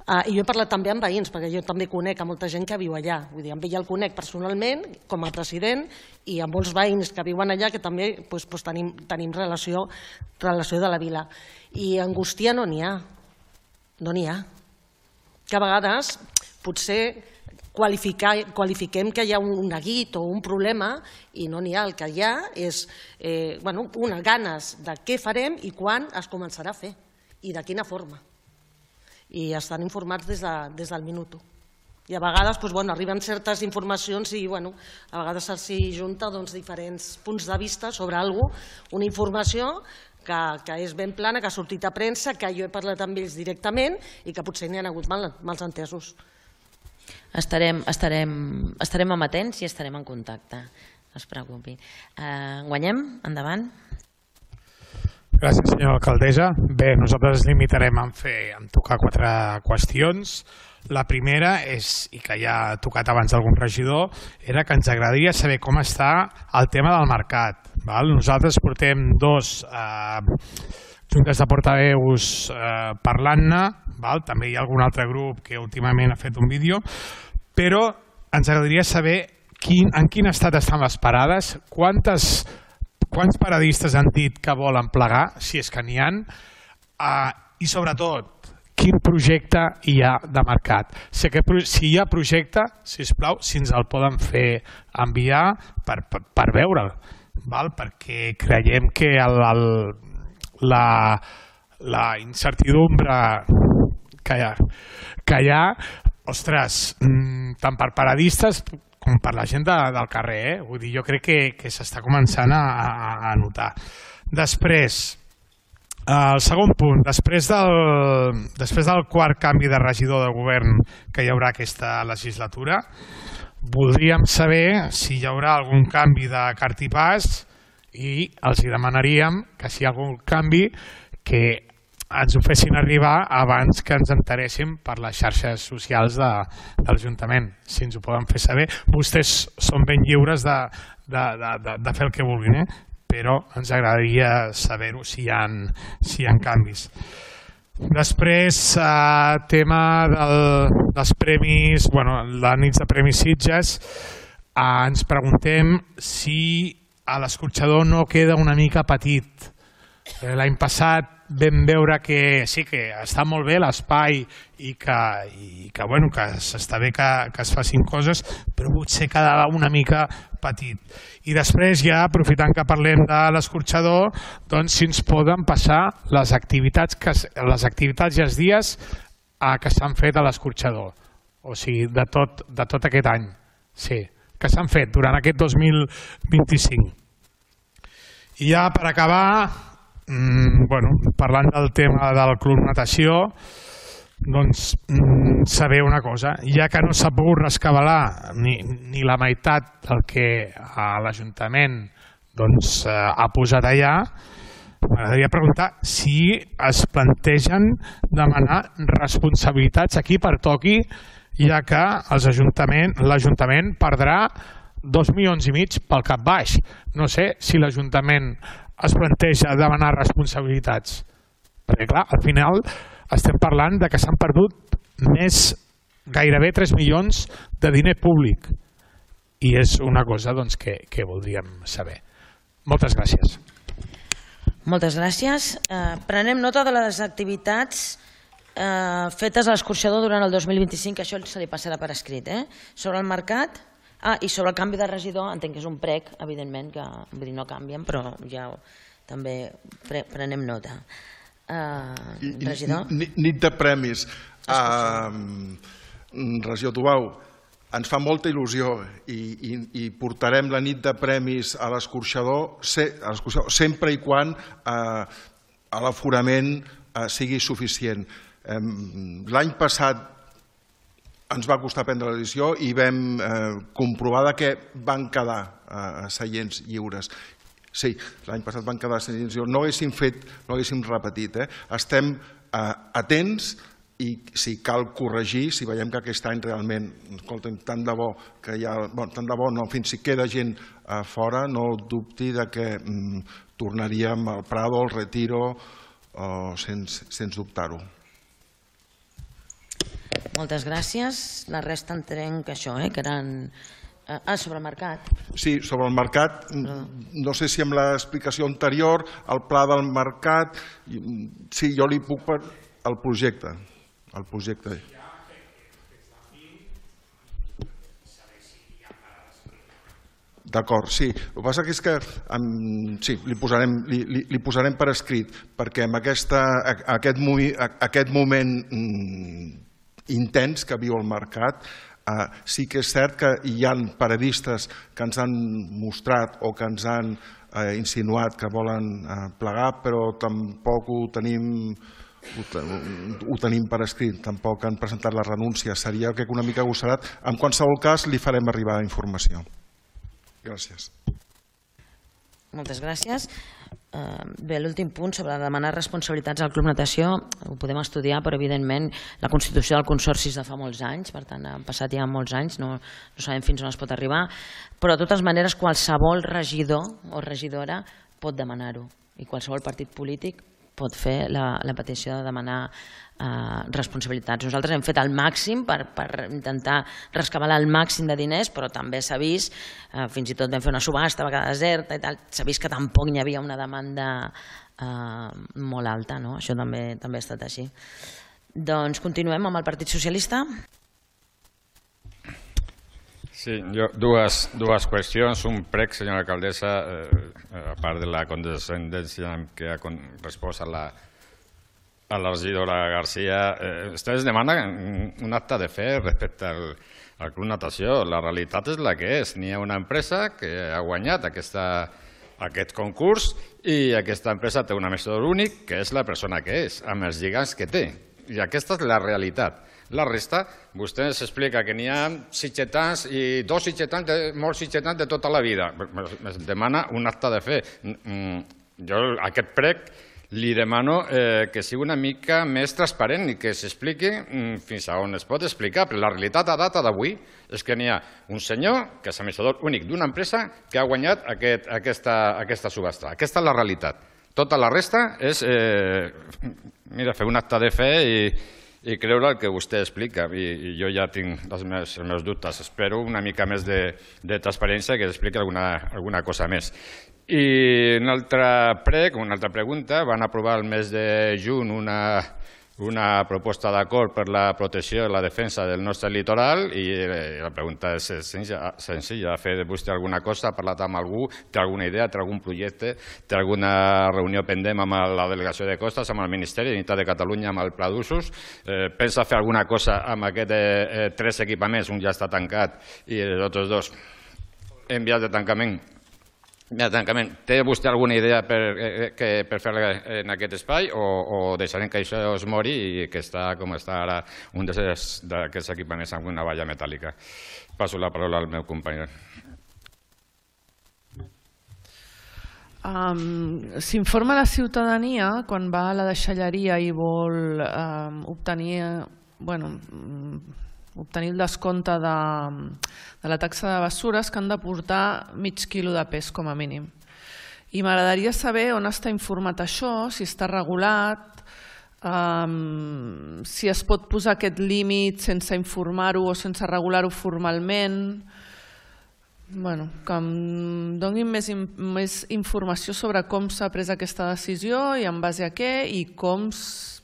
E: I jo he parlat també amb veïns, perquè jo també conec a molta gent que viu allà. Vull dir, amb ell el conec personalment, com a president, i amb molts veïns que viuen allà que també tenim relació de la vila. I angústia no n'hi ha. No n'hi ha. Que a vegades potser qualifiquem que hi ha un neguit o un problema i no n'hi ha. El que hi ha és unes ganes de què farem i quan es començarà a fer i de quina forma. I estan informats des del minut u. I a vegades arriben certes informacions i a vegades s'hi junta diferents punts de vista sobre alguna cosa, una informació que és ben plana, que ha sortit a premsa, que jo he parlat amb ells directament i que potser n'hi ha hagut mals entesos.
A: Estarem amatents i estarem en contacte, no es preocupi. Guanyem? Endavant.
J: Gràcies, senyora alcaldessa. Bé, nosaltres ens limitarem a tocar quatre qüestions. La primera, i que ja ha tocat abans algun regidor, era que ens agradaria saber com està el tema del mercat. Nosaltres portem dos juntes de portaveus parlant-ne, també hi ha algun altre grup que últimament ha fet un vídeo, però ens agradaria saber en quin estat estan les parades, quantes Quants paradistes han dit que volen plegar, si és que n'hi ha, i sobretot, quin projecte hi ha de mercat. Si hi ha projecte, sisplau, si ens el poden fer enviar per veure'l, perquè creiem que la incertidumbre que hi ha, ostres, tant per paradistes com per la gent del carrer, vull dir, jo crec que s'està començant a notar. Després, el segon punt, després del quart canvi de regidor de govern que hi haurà aquesta legislatura, voldríem saber si hi haurà algun canvi de cartipàs i els demanaríem que si hi ha algun canvi que ens ho fessin arribar abans que ens enteréssim per les xarxes socials de l'Ajuntament, si ens ho poden fer saber. Vostès són ben lliures de fer el que vulguin, però ens agradaria saber-ho si hi ha canvis. Després, eh, tema del, dels premis, bueno, la nit de Premis Sitges, eh, ens preguntem si a l'escorxador no queda una mica petit. L'any passat vam veure que sí que està molt bé l'espai i que, i que, bueno, que està bé que, que es facin coses, però potser quedava una mica petit. I després ja, aprofitant que parlem de l'escorxador, doncs si ens poden passar les activitats, que, les activitats i els dies eh, que s'han fet a l'escorxador, o sigui, de tot, de tot aquest any, sí, que s'han fet durant aquest dos mil vint-i-cinc. I ja per acabar, mmm, bueno, parlant del tema del Club Natació, doncs mmm, saber una cosa, ja que no s'ha pogut rescabalar ni, ni la meitat del que l'Ajuntament doncs, eh, ha posat allà, m'agradaria preguntar si es plantegen demanar responsabilitats aquí per toqui, ja que l'Ajuntament perdrà dos milions i mig pel cap baix. No sé si l'Ajuntament es planteja demanar responsabilitats. Perquè, clar, al final estem parlant de que s'han perdut més, gairebé tres milions de diner públic. I és una cosa doncs, que, que voldríem saber. Moltes gràcies.
A: Moltes gràcies. Eh, prenem nota de les activitats eh, fetes a l'escorxador durant el dos mil vint-i-cinc, això se li passarà per escrit. Eh? Sobre el mercat... Ah, i sobre el canvi de regidor, entenc que és un prec, evidentment, que vull dir, no canvien, però ja també pre prenem nota. Uh, regidor?
D: Nit de premis. Uh, regidor Tubau, ens fa molta il·lusió i, i, i portarem la nit de premis a l'escorxador se, sempre i quan uh, l'aforament uh, sigui suficient. Um, L'any passat ens va costar prendre la decisió i vam eh, comprovar que van quedar eh, seients lliures. Sí, l'any passat van quedar seients lliures. No haguéssim fet, no haguéssim repetit. Eh? Estem eh, atents i si cal corregir, si veiem que aquest any realment, escolta'm, tant de bo que hi ha, bueno, tant de bo no, fins si queda gent a fora, no dubti de que mm, tornaríem al Prado, al Retiro, oh, sense, sense dubtar-ho.
A: Moltes gràcies. La resta entenc que això, eh, que eren... Ah, sobre el mercat.
D: Sí, sobre el mercat, no sé si amb l'explicació anterior, el pla del mercat, sí, jo li puc per el projecte. El projecte. D'acord, sí. El que passa és que sí, li posarem, li, li, li posarem per escrit, perquè amb aquesta, aquest, aquest moment intens que viu el mercat, eh, sí que és cert que hi ha paradistes que ens han mostrat o que ens han eh, insinuat que volen eh, plegar, però tampoc ho tenim, ho, ho tenim per escrit, tampoc han presentat la renúncia. Seria que una mica agossarat. En qualsevol cas, li farem arribar informació. Gràcies.
A: Moltes gràcies. Bé, l'últim punt sobre demanar responsabilitats al Club Natació ho podem estudiar, però evidentment la Constitució del Consorci és de fa molts anys, per tant han passat ja molts anys, no, no sabem fins on es pot arribar, però de totes maneres qualsevol regidor o regidora pot demanar-ho i qualsevol partit polític pot fer la, la petició de demanar eh, responsabilitats. Nosaltres hem fet el màxim per, per intentar rescabalar el màxim de diners, però també s'ha vist, eh, fins i tot vam fer una subhasta, va quedar deserta i tal, s'ha vist que tampoc n'hi havia una demanda eh, molt alta, no? Això també, també ha estat així. Doncs continuem amb el Partit Socialista.
K: Sí, jo, dues, dues qüestions. Un prec, senyora alcaldessa, eh, a part de la condescendència que ha respost a la, a la regidora García, eh, vostès demanen un acte de fe respecte al, al Club Natació. La realitat és la que és. N'hi ha una empresa que ha guanyat aquesta, aquest concurs i aquesta empresa té un administrador únic, que és la persona que és, amb els lligams que té. I aquesta és la realitat. La resta, vostè ens explica que n'hi ha sitgetans i dos sitgetans, de, molts sitgetans de tota la vida. Es demana un acte de fe. Jo aquest prec li demano eh, que sigui una mica més transparent i que s'expliqui fins a on es pot explicar. Però la realitat a data d'avui és que n'hi ha un senyor que és administrador únic d'una empresa que ha guanyat aquest, aquesta, aquesta subhasta. Aquesta és la realitat. Tota la resta és mira, fer un acte de fe i, i creure el que vostè explica. I, i jo ja tinc els meus, els meus dubtes. Espero una mica més de, de transparència que expliqui alguna, alguna cosa més. I un altre prec, una altra pregunta, van aprovar el mes de juny una, una proposta d'acord per la protecció i la defensa del nostre litoral i la pregunta és senzilla, senzilla. Ha fet vostè alguna cosa, ha parlat amb algú, té alguna idea, té algun projecte, té alguna reunió pendent amb la delegació de costes, amb el Ministeri d'Unitat de Catalunya, amb el Pla d'Usos? Eh, pensa fer alguna cosa amb aquests eh, tres equipaments? Un ja està tancat i els altres dos en vies de tancament. Ja, tancament. Té vostè alguna idea per, eh, que, per fer en aquest espai o, o deixarem que això es mori i que està com està ara un d'aquests equipaments amb una valla metàl·lica? Passo la paraula al meu company.
F: Um, S'informa la ciutadania quan va a la deixalleria i vol um, obtenir, bueno, obtenir el descompte de, de la taxa de bessures que han de portar mig quilo de pes com a mínim. I m'agradaria saber on està informat això, si està regulat, um, si es pot posar aquest límit sense informar-ho o sense regular-ho formalment. Bueno, que em donin més, més informació sobre com s'ha pres aquesta decisió i en base a què i com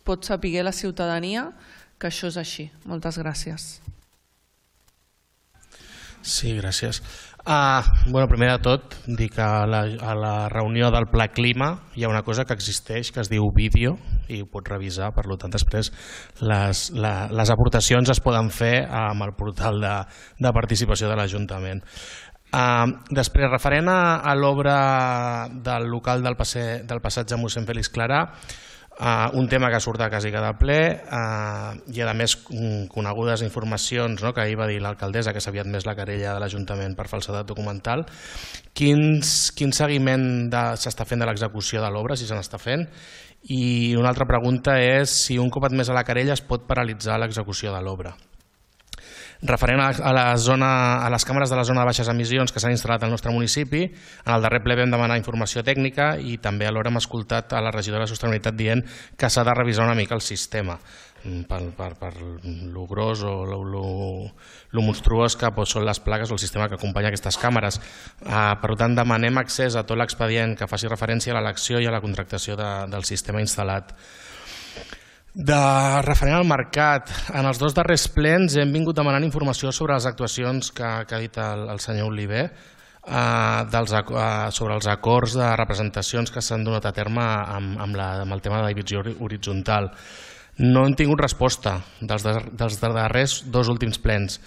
F: pot saber la ciutadania que això és així. Moltes gràcies.
L: Sí, gràcies. Uh, bueno, primer de tot, dir que a la, a la reunió del Pla Clima hi ha una cosa que existeix que es diu vídeo i ho pots revisar, per tant després les, la, les aportacions es poden fer amb el portal de, de participació de l'Ajuntament. Uh, després, referent a, a l'obra del local del, passe, del passatge mossèn Fèlix Clarà, Uh, un tema que surt a quasi cada ple uh, i a més conegudes informacions, no, que ahir va dir l'alcaldessa que s'havia admès la querella de l'Ajuntament per falsedat documental. Quins, quin seguiment s'està fent de l'execució de l'obra, si se n'està fent? I una altra pregunta és si un cop admès a la querella es pot paralitzar l'execució de l'obra. Referent a, la zona, a les càmeres de la zona de baixes emissions que s'han instal·lat al nostre municipi, en el darrer ple vam demanar informació tècnica i també alhora hem escoltat a la regidora de Sostenibilitat dient que s'ha de revisar una mica el sistema per, per, per lo gros o lo, lo, lo monstruós que són les plaques o el sistema que acompanya aquestes càmeres. Uh, per tant, demanem accés a tot l'expedient que faci referència a l'elecció i a la contractació de, del sistema instal·lat. De referent al mercat, en els dos darrers plens hem vingut demanant informació sobre les actuacions que, que ha dit el, el senyor Oliver eh, dels, eh, sobre els acords de representacions que s'han donat a terme amb, amb, la, amb el tema de la divisió horitzontal. No hem tingut resposta dels, dels darrers dos últims plens.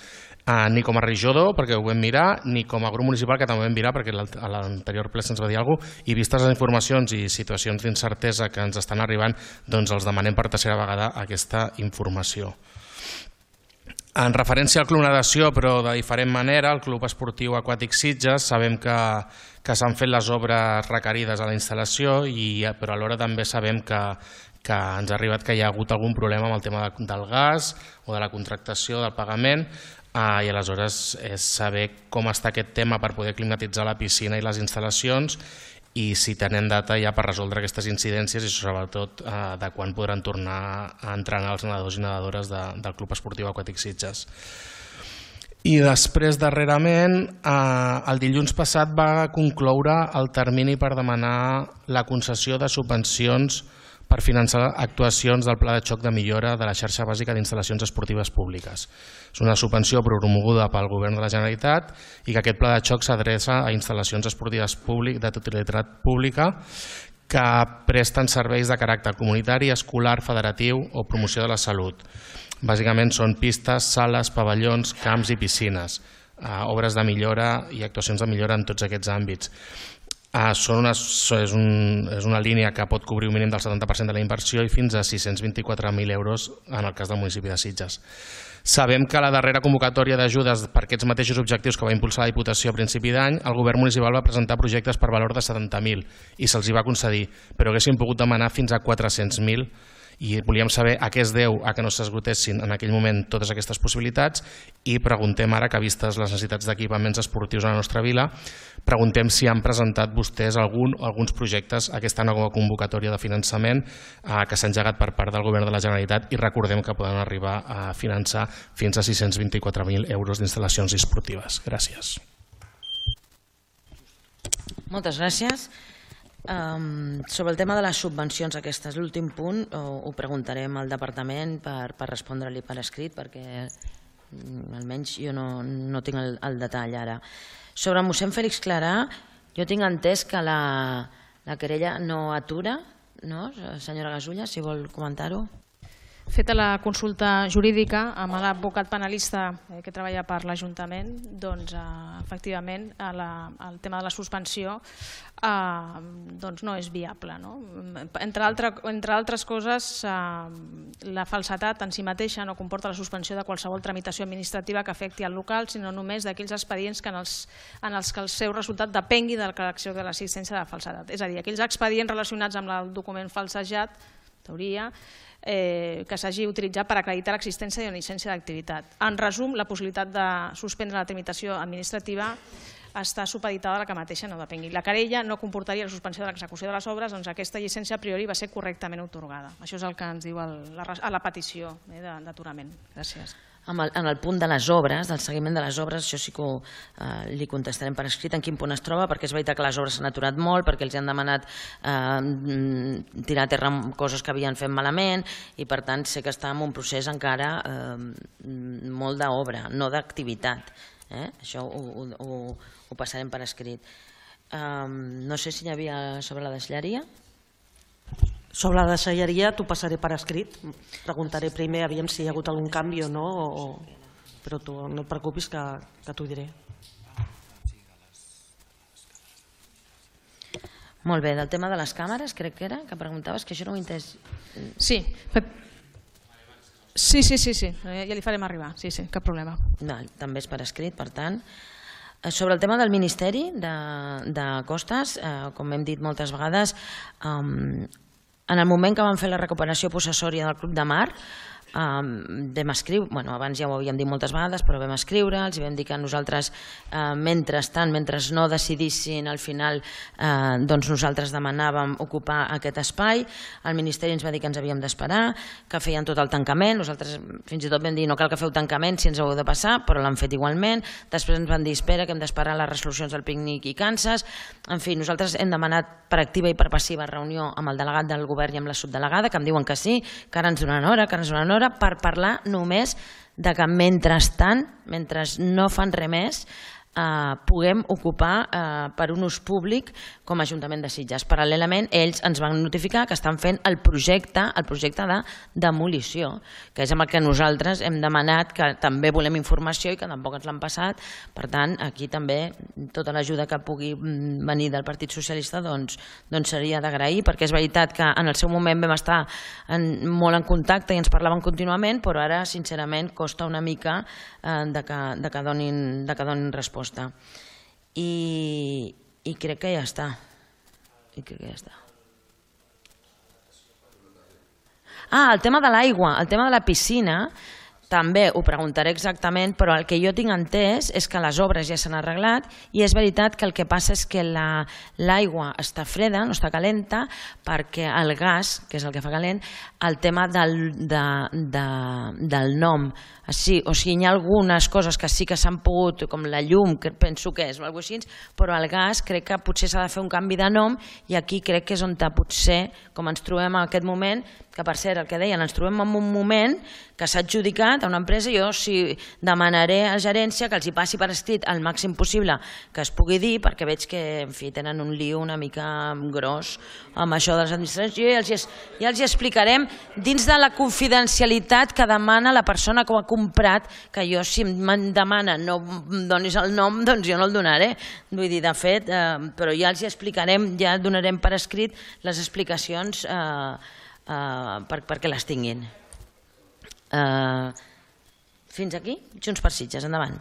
L: Uh, ni com a regidor, perquè ho vam mirar, ni com a grup municipal, que també ho vam mirar, perquè a l'anterior ple se'ns va dir alguna cosa, i vistes les informacions i situacions d'incertesa que ens estan arribant, doncs els demanem per tercera vegada aquesta informació. En referència al Club Natació, però de diferent manera, el Club Esportiu Aquàtic Sitges, sabem que, que s'han fet les obres requerides a la instal·lació, i, però alhora també sabem que, que ens ha arribat que hi ha hagut algun problema amb el tema de, del gas o de la contractació, del pagament, Uh, i aleshores és saber com està aquest tema per poder climatitzar la piscina i les instal·lacions i si tenen data ja per resoldre aquestes incidències i sobretot uh, de quan podran tornar a entrenar els nedadors i nedadores de, del Club Esportiu Aquàtic Sitges. I després, darrerament, eh, el dilluns passat va concloure el termini per demanar la concessió de subvencions per finançar actuacions del Pla de Xoc de Millora de la Xarxa Bàsica d'Instal·lacions Esportives Públiques. És una subvenció promoguda pel Govern de la Generalitat i que aquest Pla de Xoc s'adreça a instal·lacions esportives de titularitat pública que presten serveis de caràcter comunitari, escolar, federatiu o promoció de la salut. Bàsicament són pistes, sales, pavellons, camps i piscines, eh, obres de millora i actuacions de millora en tots aquests àmbits. Uh, són una, és, un, és una línia que pot cobrir un mínim del setanta per cent de la inversió i fins a sis-cents vint-i-quatre mil euros en el cas del municipi de Sitges. Sabem que la darrera convocatòria d'ajudes per aquests mateixos objectius que va impulsar la Diputació a principi d'any, el govern municipal va presentar projectes per valor de setanta mil i se'ls hi va concedir, però haguessin pogut demanar fins a quatre-cents mil I volíem saber a què es deu a que no s'esgotessin en aquell moment totes aquestes possibilitats i preguntem ara que, vistes les necessitats d'equipaments esportius a la nostra vila, preguntem si han presentat vostès algun o alguns projectes a aquesta nova convocatòria de finançament que s'ha engegat per part del Govern de la Generalitat, i recordem que poden arribar a finançar fins a sis-cents vint-i-quatre mil euros d'instal·lacions esportives. Gràcies.
A: Moltes gràcies. Um, sobre el tema de les subvencions aquestes, l'últim punt ho, ho preguntarem al departament per, per respondre-li per escrit, perquè almenys jo no, no tinc el, el detall ara. Sobre el mossèn Fèlix Clarà, jo tinc entès que la, la querella no atura, no? Senyora Gasulla, si vol comentar-ho.
M: Feta la consulta jurídica amb l'advocat penalista que treballa per l'Ajuntament, doncs efectivament el tema de la suspensió no és viable. Entre altres coses, la falsedat en si mateixa no comporta la suspensió de qualsevol tramitació administrativa que afecti al local, sinó només d'aquells expedients en els que el seu resultat depengui de la correcció de l'existència de falsedat. És a dir, aquells expedients relacionats amb el document falsejat, teoria, que s'hagi utilitzat per acreditar l'existència d'una llicència d'activitat. En resum, la possibilitat de suspendre la tramitació administrativa està supeditada a la que mateixa no depengui. La querella no comportaria la suspensió de l'execució de les obres, doncs aquesta llicència a priori va ser correctament atorgada. Això és el que ens diu a la petició d'aturament. Gràcies.
A: En el punt de les obres, del seguiment de les obres, això sí que li contestarem per escrit en quin punt es troba, perquè és veritat que les obres s'han aturat molt, perquè els han demanat tirar a terra coses que havien fet malament, i per tant sé que està en un procés encara molt d'obra, no d'activitat. Això ho passarem per escrit. No sé si hi havia sobre la deixalleria.
E: Sobre la deixalleria t'ho passaré per escrit. Preguntaré primer aviam si hi ha hagut algun canvi o no, però tu no et preocupis que t'ho diré.
A: Molt bé, del tema de les càmeres, crec que era, que preguntaves, que això no ho he entès.
M: Sí, sí, sí, sí, ja li farem arribar, sí, sí, cap problema.
A: També és per escrit, per tant. Sobre el tema del Ministeri de Costes, com hem dit moltes vegades, en el moment que vam fer la recuperació possessòria del Club de Mar, vam escriure, bueno, abans ja ho havíem dit moltes vegades, però vam escriure, els vam dir que nosaltres, mentrestant, mentre no decidissin, al final doncs nosaltres demanàvem ocupar aquest espai, el Ministeri ens va dir que ens havíem d'esperar, que feien tot el tancament, nosaltres fins i tot vam dir no cal que feu tancament si ens ho heu de passar, però l'han fet igualment, després ens van dir espera que hem d'esperar les resolucions del pícnic i Kansas, en fi, nosaltres hem demanat per activa i per passiva reunió amb el delegat del govern i amb la subdelegada, que em diuen que sí, que ara ens donaran hora, que ara ens donaran hora, per parlar només de que mentrestant, mentre no fan res més, puguem ocupar per un ús públic com a Ajuntament de Sitges. Paral·lelament, ells ens van notificar que estan fent el projecte el projecte de demolició, que és amb el que nosaltres hem demanat, que també volem informació i que tampoc ens l'han passat. Per tant, aquí també tota l'ajuda que pugui venir del Partit Socialista doncs seria d'agrair, perquè és veritat que en el seu moment vam estar molt en contacte i ens parlaven contínuament, però ara, sincerament, costa una mica de que donin resposta. I crec que ja està. I crec que ja està. Ah, el tema de l'aigua, el tema de la piscina, també ho preguntaré exactament, però el que jo tinc entès és que les obres ja s'han arreglat i és veritat que el que passa és que l'aigua està freda, no està calenta, perquè el gas, que és el que fa calent, el tema del nom, o sigui, hi ha algunes coses que sí que s'han pogut, com la llum, que penso que és, o alguna cosa així, però el gas crec que potser s'ha de fer un canvi de nom i aquí crec que és on potser, com ens trobem en aquest moment, que per cert, el que deien, ens trobem en un moment que s'ha adjudicat a una empresa, jo sí demanaré a gerència que els hi passi per escrit el màxim possible que es pugui dir, perquè veig que en fi, tenen un lío una mica gros amb això de les administracions. Jo ja els, ja els hi explicarem dins de la confidencialitat que demana la persona que ho ha comprat, que jo si em demana no em donis el nom, doncs jo no el donaré. Vull dir, de fet, eh, però ja els hi explicarem, ja donarem per escrit les explicacions eh, Uh, per, perquè les tinguin. Uh, fins aquí, Junts per Sitges, endavant.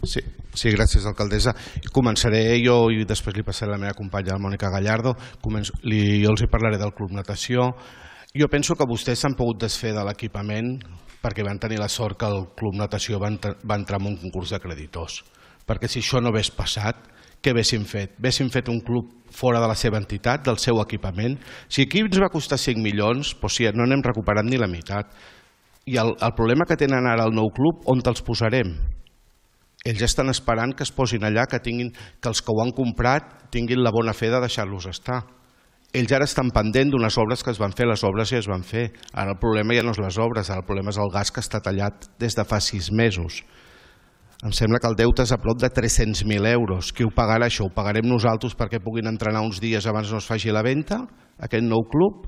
N: Sí, Sí, gràcies, alcaldessa. Començaré jo i després li passaré a la meva companya, la Mònica Gallardo. Començo, li, jo els hi parlaré del Club Natació. Jo penso que vostès s'han pogut desfer de l'equipament perquè van tenir la sort que el Club Natació va, va entrar en un concurs de creditors. Perquè si això no hagués passat, què haguéssim fet? Haguéssim fet un club fora de la seva entitat, del seu equipament. Si aquí ens va costar cinc milions, doncs sí, no n'hem recuperat ni la meitat. I el, el problema que tenen ara al nou club, on te'ls posarem? Ells estan esperant que es posin allà, que, tinguin, que els que ho han comprat tinguin la bona fe de deixar-los estar. Ells ara estan pendent d'unes obres que es van fer, les obres ja es van fer. Ara el problema ja no és les obres, ara el problema és el gas que està tallat des de fa sis mesos. Em sembla que el deute és a prop de tres-cents mil euros. Qui ho pagarà això? Ho pagarem nosaltres perquè puguin entrenar uns dies abans no es faci la venda, aquest nou club?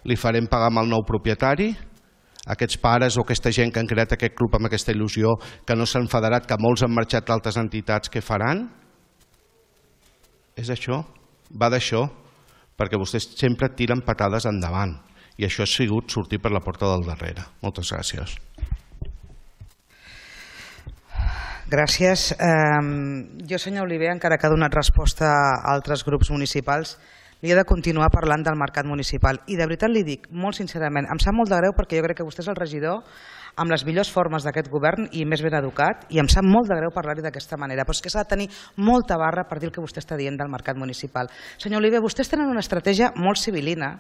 N: Li farem pagar amb el nou propietari? Aquests pares o aquesta gent que han creat aquest club amb aquesta il·lusió, que no s'han federat, que molts han marxat d'altres entitats, què faran? És això? Va d'això? Perquè vostès sempre tiren patades endavant i això ha sigut sortir per la porta del darrere. Moltes gràcies.
O: Gràcies. Jo, senyor Oliver, encara que ha donat resposta a altres grups municipals, li he de continuar parlant del mercat municipal. I de veritat li dic, molt sincerament, em sap molt de greu perquè jo crec que vostè és el regidor amb les millors formes d'aquest govern i més ben educat, i em sap molt de greu parlar-hi d'aquesta manera, però és que s'ha de tenir molta barra per dir el que vostè està dient del mercat municipal. Senyor Oliver, vostès tenen una estratègia molt civilina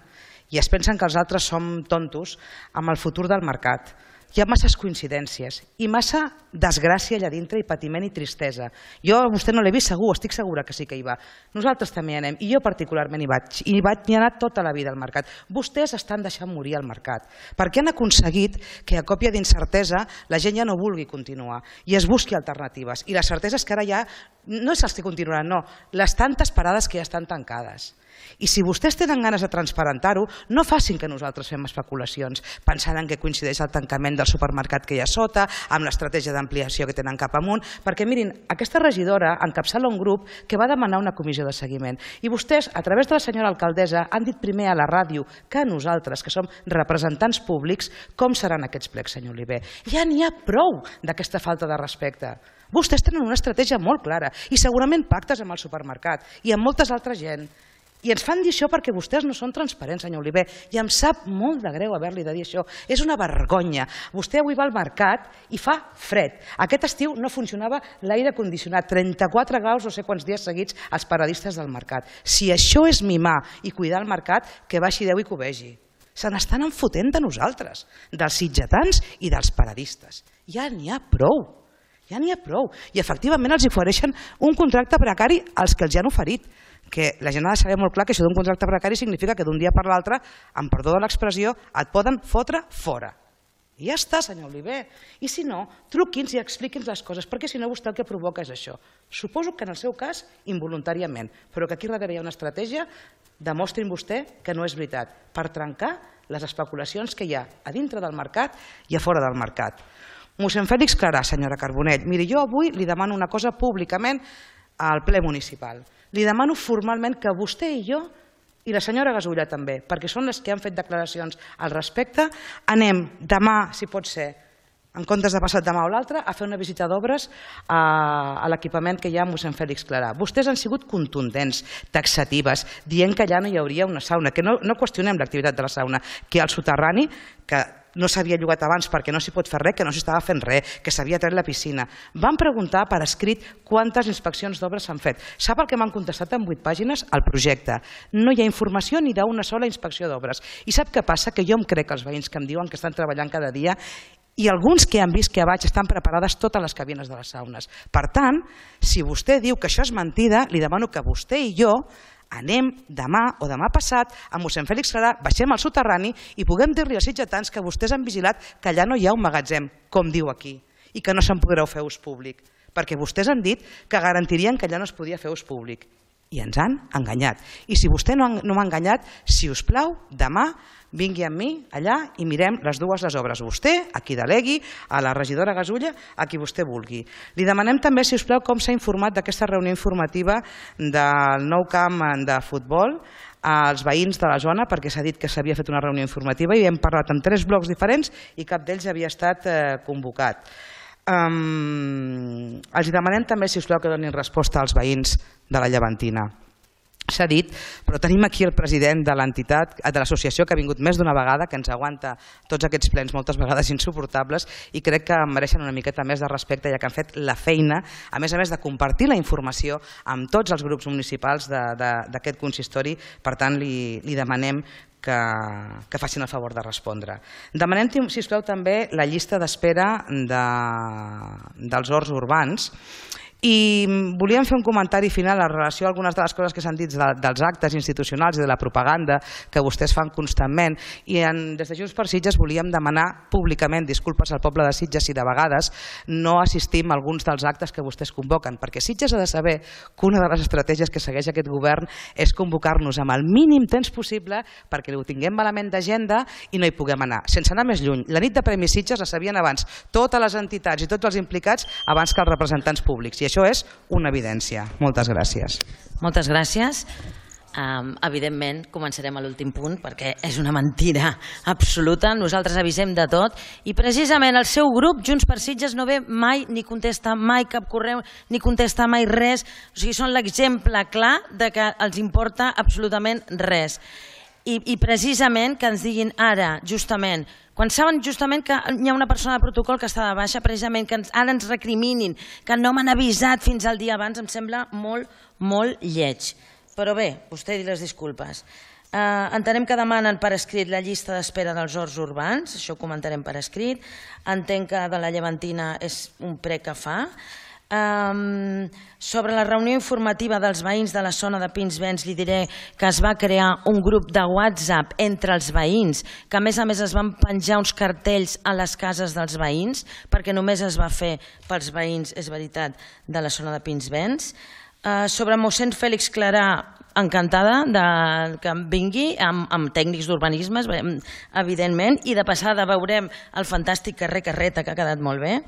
O: i es pensen que els altres som tontos amb el futur del mercat. Hi ha masses coincidències i massa desgràcia allà dintre i patiment i tristesa. Jo a vostè no l'he vist segur, estic segura que sí que hi va. Nosaltres també hi anem i jo particularment hi vaig. I hi he anat tota la vida al mercat. Vostès estan deixant morir el mercat perquè han aconseguit que a còpia d'incertesa la gent ja no vulgui continuar i es busqui alternatives. I la certesa és que ara ja no és els que continuaran, no, les tantes parades que ja estan tancades. I si vostès tenen ganes de transparentar-ho, no facin que nosaltres fem especulacions pensant en què coincideix el tancament del supermercat que hi ha sota, amb l'estratègia d'ampliació que tenen cap amunt, perquè mirin, aquesta regidora encapçala un grup que va demanar una comissió de seguiment i vostès, a través de la senyora alcaldessa, han dit primer a la ràdio que a nosaltres, que som representants públics, com seran aquests plecs, senyor Oliver. Ja n'hi ha prou d'aquesta falta de respecte. Vostès tenen una estratègia molt clara i segurament pactes amb el supermercat i amb moltes altres gent. I ens fan dir això perquè vostès no són transparents, senyor Oliver, i em sap molt de greu haver-li de dir això. És una vergonya. Vostè avui va al mercat i fa fred. Aquest estiu no funcionava l'aire condicionat, trenta-quatre graus no sé quants dies seguits als paradistes del mercat. Si això és mimar i cuidar el mercat, que baixi Déu i que ho vegi. Se n'estan enfotent de nosaltres, dels sitgetans i dels paradistes. Ja n'hi ha prou. Ja n'hi ha prou. I efectivament els ofereixen un contracte precari als que els han oferit, que la gent ha de saber molt clar que això d'un contracte precari significa que d'un dia per l'altre, amb perdó de l'expressió, et poden fotre fora. I ja està, senyor Oliver. I si no, truqui'ns i expliqui'ns les coses, perquè si no vostè el que provoca és això. Suposo que en el seu cas, involuntàriament, però que aquí darrere hi ha una estratègia, demostrin vostè que no és veritat, per trencar les especulacions que hi ha a dintre del mercat i a fora del mercat. Mossèn Fèlix Clarà, senyora Carbonell, miri, jo avui li demano una cosa públicament al ple municipal. Li demano formalment que vostè i jo, i la senyora Gasulla també, perquè són les que han fet declaracions al respecte, anem demà, si pot ser, en comptes de passat demà o l'altre, a fer una visita d'obres a l'equipament que hi ha a mossèn Fèlix Clarà. Vostès han sigut contundents, taxatives, dient que allà no hi hauria una sauna, que no, no qüestionem l'activitat de la sauna, que al soterrani, que no s'havia llogat abans perquè no s'hi pot fer res, que no s'hi estava fent res, que s'havia tret la piscina. Van preguntar per escrit quantes inspeccions d'obres s'han fet. Sap el que m'han contestat en vuit pàgines? El projecte. No hi ha informació ni d'una sola inspecció d'obres. I sap què passa? Que jo em crec els veïns que em diuen que estan treballant cada dia i alguns que han vist que a baix estan preparades totes les cabines de les saunes. Per tant, si vostè diu que això és mentida, li demano que vostè i jo anem demà o demà passat a mossèn Fèlix Clarà, baixem al soterrani i puguem dir-li als sitgetans que vostès han vigilat que allà no hi ha un magatzem, com diu aquí, i que no se'n podrà fer ús públic, perquè vostès han dit que garantirien que allà no es podia fer ús públic. I ens han enganyat. I si vostè no, no m'ha enganyat, si us plau, demà vingui amb mi allà i mirem les dues les obres. Vostè, a qui delegui, a la regidora Gasulla, a qui vostè vulgui. Li demanem també, si us plau, com s'ha informat d'aquesta reunió informativa del nou camp de futbol als veïns de la zona, perquè s'ha dit que s'havia fet una reunió informativa i hem parlat amb tres blocs diferents i cap d'ells havia estat convocat. Um, els demanem també, si us plau, que donin resposta als veïns de la Llevantina. S'ha dit, però tenim aquí el president de l'entitat, de l'associació, que ha vingut més d'una vegada, que ens aguanta tots aquests plens moltes vegades insuportables, i crec que mereixen una miqueta més de respecte, ja que han fet la feina, a més a més de compartir la informació amb tots els grups municipals d'aquest consistori. Per tant, li, li demanem que, que facin el favor de respondre. Demanem, si us plau, també la llista d'espera de, dels horts urbans. I volíem fer un comentari final en relació a algunes de les coses que s'han dit de, dels actes institucionals i de la propaganda que vostès fan constantment, i en, des de Junts per Sitges volíem demanar públicament disculpes al poble de Sitges si de vegades no assistim a alguns dels actes que vostès convoquen, perquè Sitges ha de saber que una de les estratègies que segueix aquest govern és convocar-nos amb el mínim temps possible perquè ho tinguem malament d'agenda i no hi puguem anar. Sense anar més lluny, la nit de Premi Sitges la sabien abans totes les entitats i tots els implicats abans que els representants públics, i això és una evidència. Moltes gràcies.
A: Moltes gràcies. Um, evidentment, començarem a l'últim punt perquè és una mentida absoluta. Nosaltres avisem de tot i precisament el seu grup, Junts per Sitges, no ve mai ni contesta mai cap correu ni contesta mai res. O sigui, són l'exemple clar de que els importa absolutament res. I, i precisament que ens diguin ara, justament, quan saben justament que hi ha una persona de protocol que està de baixa, precisament que ens, ara ens recriminin, que no m'han avisat fins al dia abans, em sembla molt, molt lleig. Però bé, vostè di les disculpes. Uh, entenem que demanen per escrit la llista d'espera dels horts urbans, això ho comentarem per escrit. Entenc que de la Llevantina és un prec que fa. Um, sobre la reunió informativa dels veïns de la zona de Pinsbens li diré que es va crear un grup de WhatsApp entre els veïns, que a més a més es van penjar uns cartells a les cases dels veïns, perquè només es va fer pels veïns, és veritat, de la zona de Pinsbens. Uh, sobre mossèn Fèlix Clarà, encantada de que vingui amb, amb tècnics d'urbanisme, evidentment, i de passada veurem el fantàstic carrer Carreta, que ha quedat molt bé.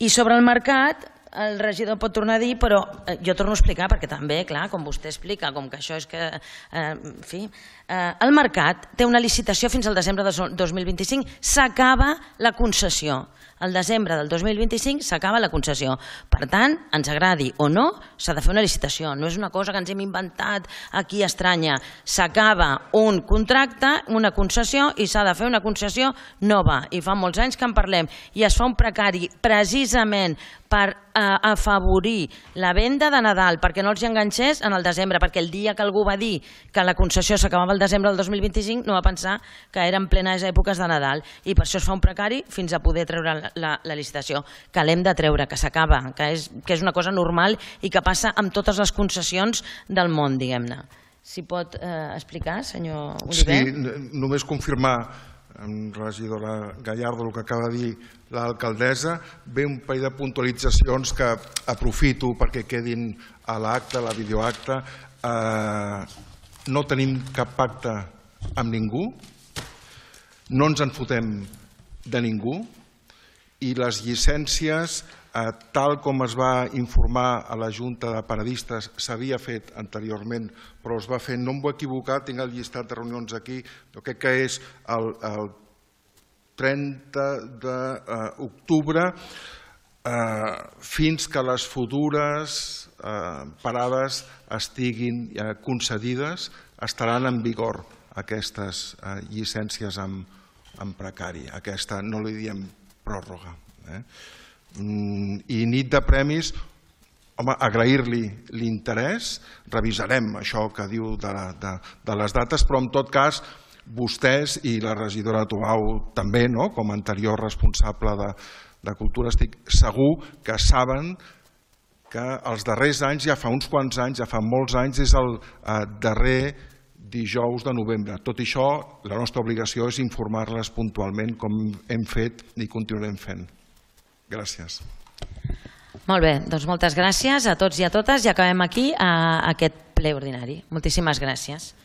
A: I sobre el mercat, el regidor pot tornar a dir, però jo torno a explicar perquè també, clar, com vostè explica, com que això és que, eh, en fi, eh, el mercat té una licitació fins al desembre del dos mil vint-i-cinc, s'acaba la concessió. Al desembre del dos mil vint-i-cinc s'acaba la concessió. Per tant, ens agradi o no, s'ha de fer una licitació. No és una cosa que ens hem inventat aquí estranya. S'acaba un contracte, una concessió, i s'ha de fer una concessió nova. I fa molts anys que en parlem. I es fa un precari precisament per eh, afavorir la venda de Nadal, perquè no els enganxés en el desembre, perquè el dia que algú va dir que la concessió s'acabava el desembre del dos mil vint-i-cinc no va pensar que eren plenes èpoques de Nadal, i per això es fa un precari fins a poder treure la, la, la licitació, que l'hem de treure, que s'acaba, que és, que és una cosa normal i que passa amb totes les concessions del món, diguem-ne. Si pot eh, explicar, senyor Oliver?
D: Sí, només confirmar, regidora Gallardo, el que acaba de dir l'alcaldessa. Ve un parell de puntualitzacions que aprofito perquè quedin a l'acte, a la videoacte. Eh, no tenim cap pacte amb ningú, no ens en fotem de ningú, i les llicències, eh, tal com es va informar a la Junta de Paradistes, s'havia fet anteriorment, però es va fer, no em vull equivocar, tinc el llistat de reunions aquí, jo crec que és el, el trenta d'octubre, eh, fins que les futures eh, parades estiguin eh, concedides, estaran en vigor aquestes eh, llicències amb, amb precari. Aquesta no li diem pròrroga. Eh? I nit de premis, home, agrair-li l'interès, revisarem això que diu de, la, de, de les dates, però en tot cas vostès i la regidora Tobau també, no? Com a anterior responsable de, de Cultura, estic segur que saben que els darrers anys, ja fa uns quants anys, ja fa molts anys, és el eh, darrer dijous de novembre. Tot i això, la nostra obligació és informar-les puntualment com hem fet i continuarem fent. Gràcies.
A: Molt bé, doncs moltes gràcies a tots i a totes i acabem aquí a aquest ple ordinari. Moltíssimes gràcies.